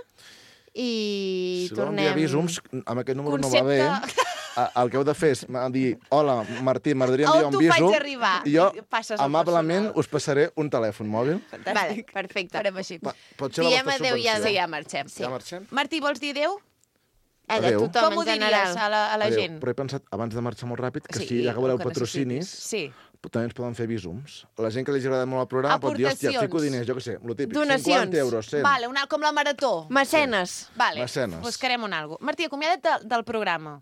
I Si voleu tornem... enviar visums, amb aquest número Concepte- no va bé. A- El que heu de fer és m'ha dir, hola, Martí, m'agradaria On enviar un t'ho visum. faig arribar? I jo, I passes al amablement, personal. us passaré un telèfon mòbil. Vale, perfecte. Farem així. Va, pot ser la Diem vostra adéu ja, subvenció. Sí, ja marxem. Ja marxem? Martí, vols dir adéu? Allà, Adéu. tothom, Com ho en diries general. a la, a la Adéu. gent? Però he pensat, abans de marxar molt ràpid, que Sí, si ja que voleu el que patrocinis, necessitis. Sí. també ens poden fer visums. La gent que li agrada molt el programa pot dir, hòstia, Aportacions. fico diners, jo què sé, lo típic, Donacions. cinquanta euros, cent. Vale, una, com la marató. Mecenes. Vale, Mecenes. buscarem un algo. Martí, acomiada't de, del programa.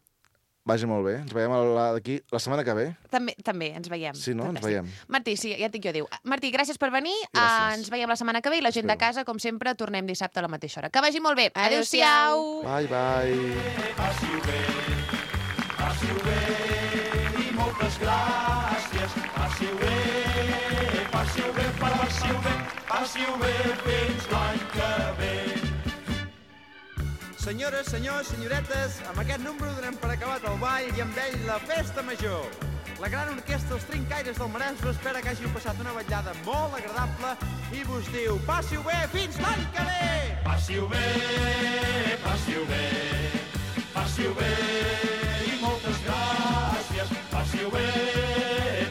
Vagi molt bé. Ens veiem a la- d'aquí la setmana que ve. També, també, ens veiem. Sí, no? Ens Fantàstic. veiem. Martí, sí, ja et dic jo adéu. Martí, gràcies per venir. Gràcies. Uh, ens veiem la setmana que ve i la gent de Espero. casa, com sempre, tornem dissabte a la mateixa hora. Que vagi molt bé. Adéu-siau. Adéu-siau. Bye, bye. Senyores, senyors, senyoretes, amb aquest número donem per acabat el ball i amb ell la festa major. La gran orquestra Els Trincaires del Maresme espera que hàgiu passat una vetllada molt agradable i vos diu passi-ho bé fins l'any que ve! Passi-ho bé, passi-ho bé, passi-ho bé i moltes gràcies. Passi-ho bé,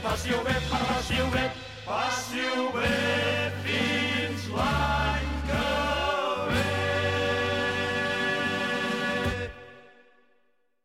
passi-ho bé, passi-ho bé, passi-ho bé.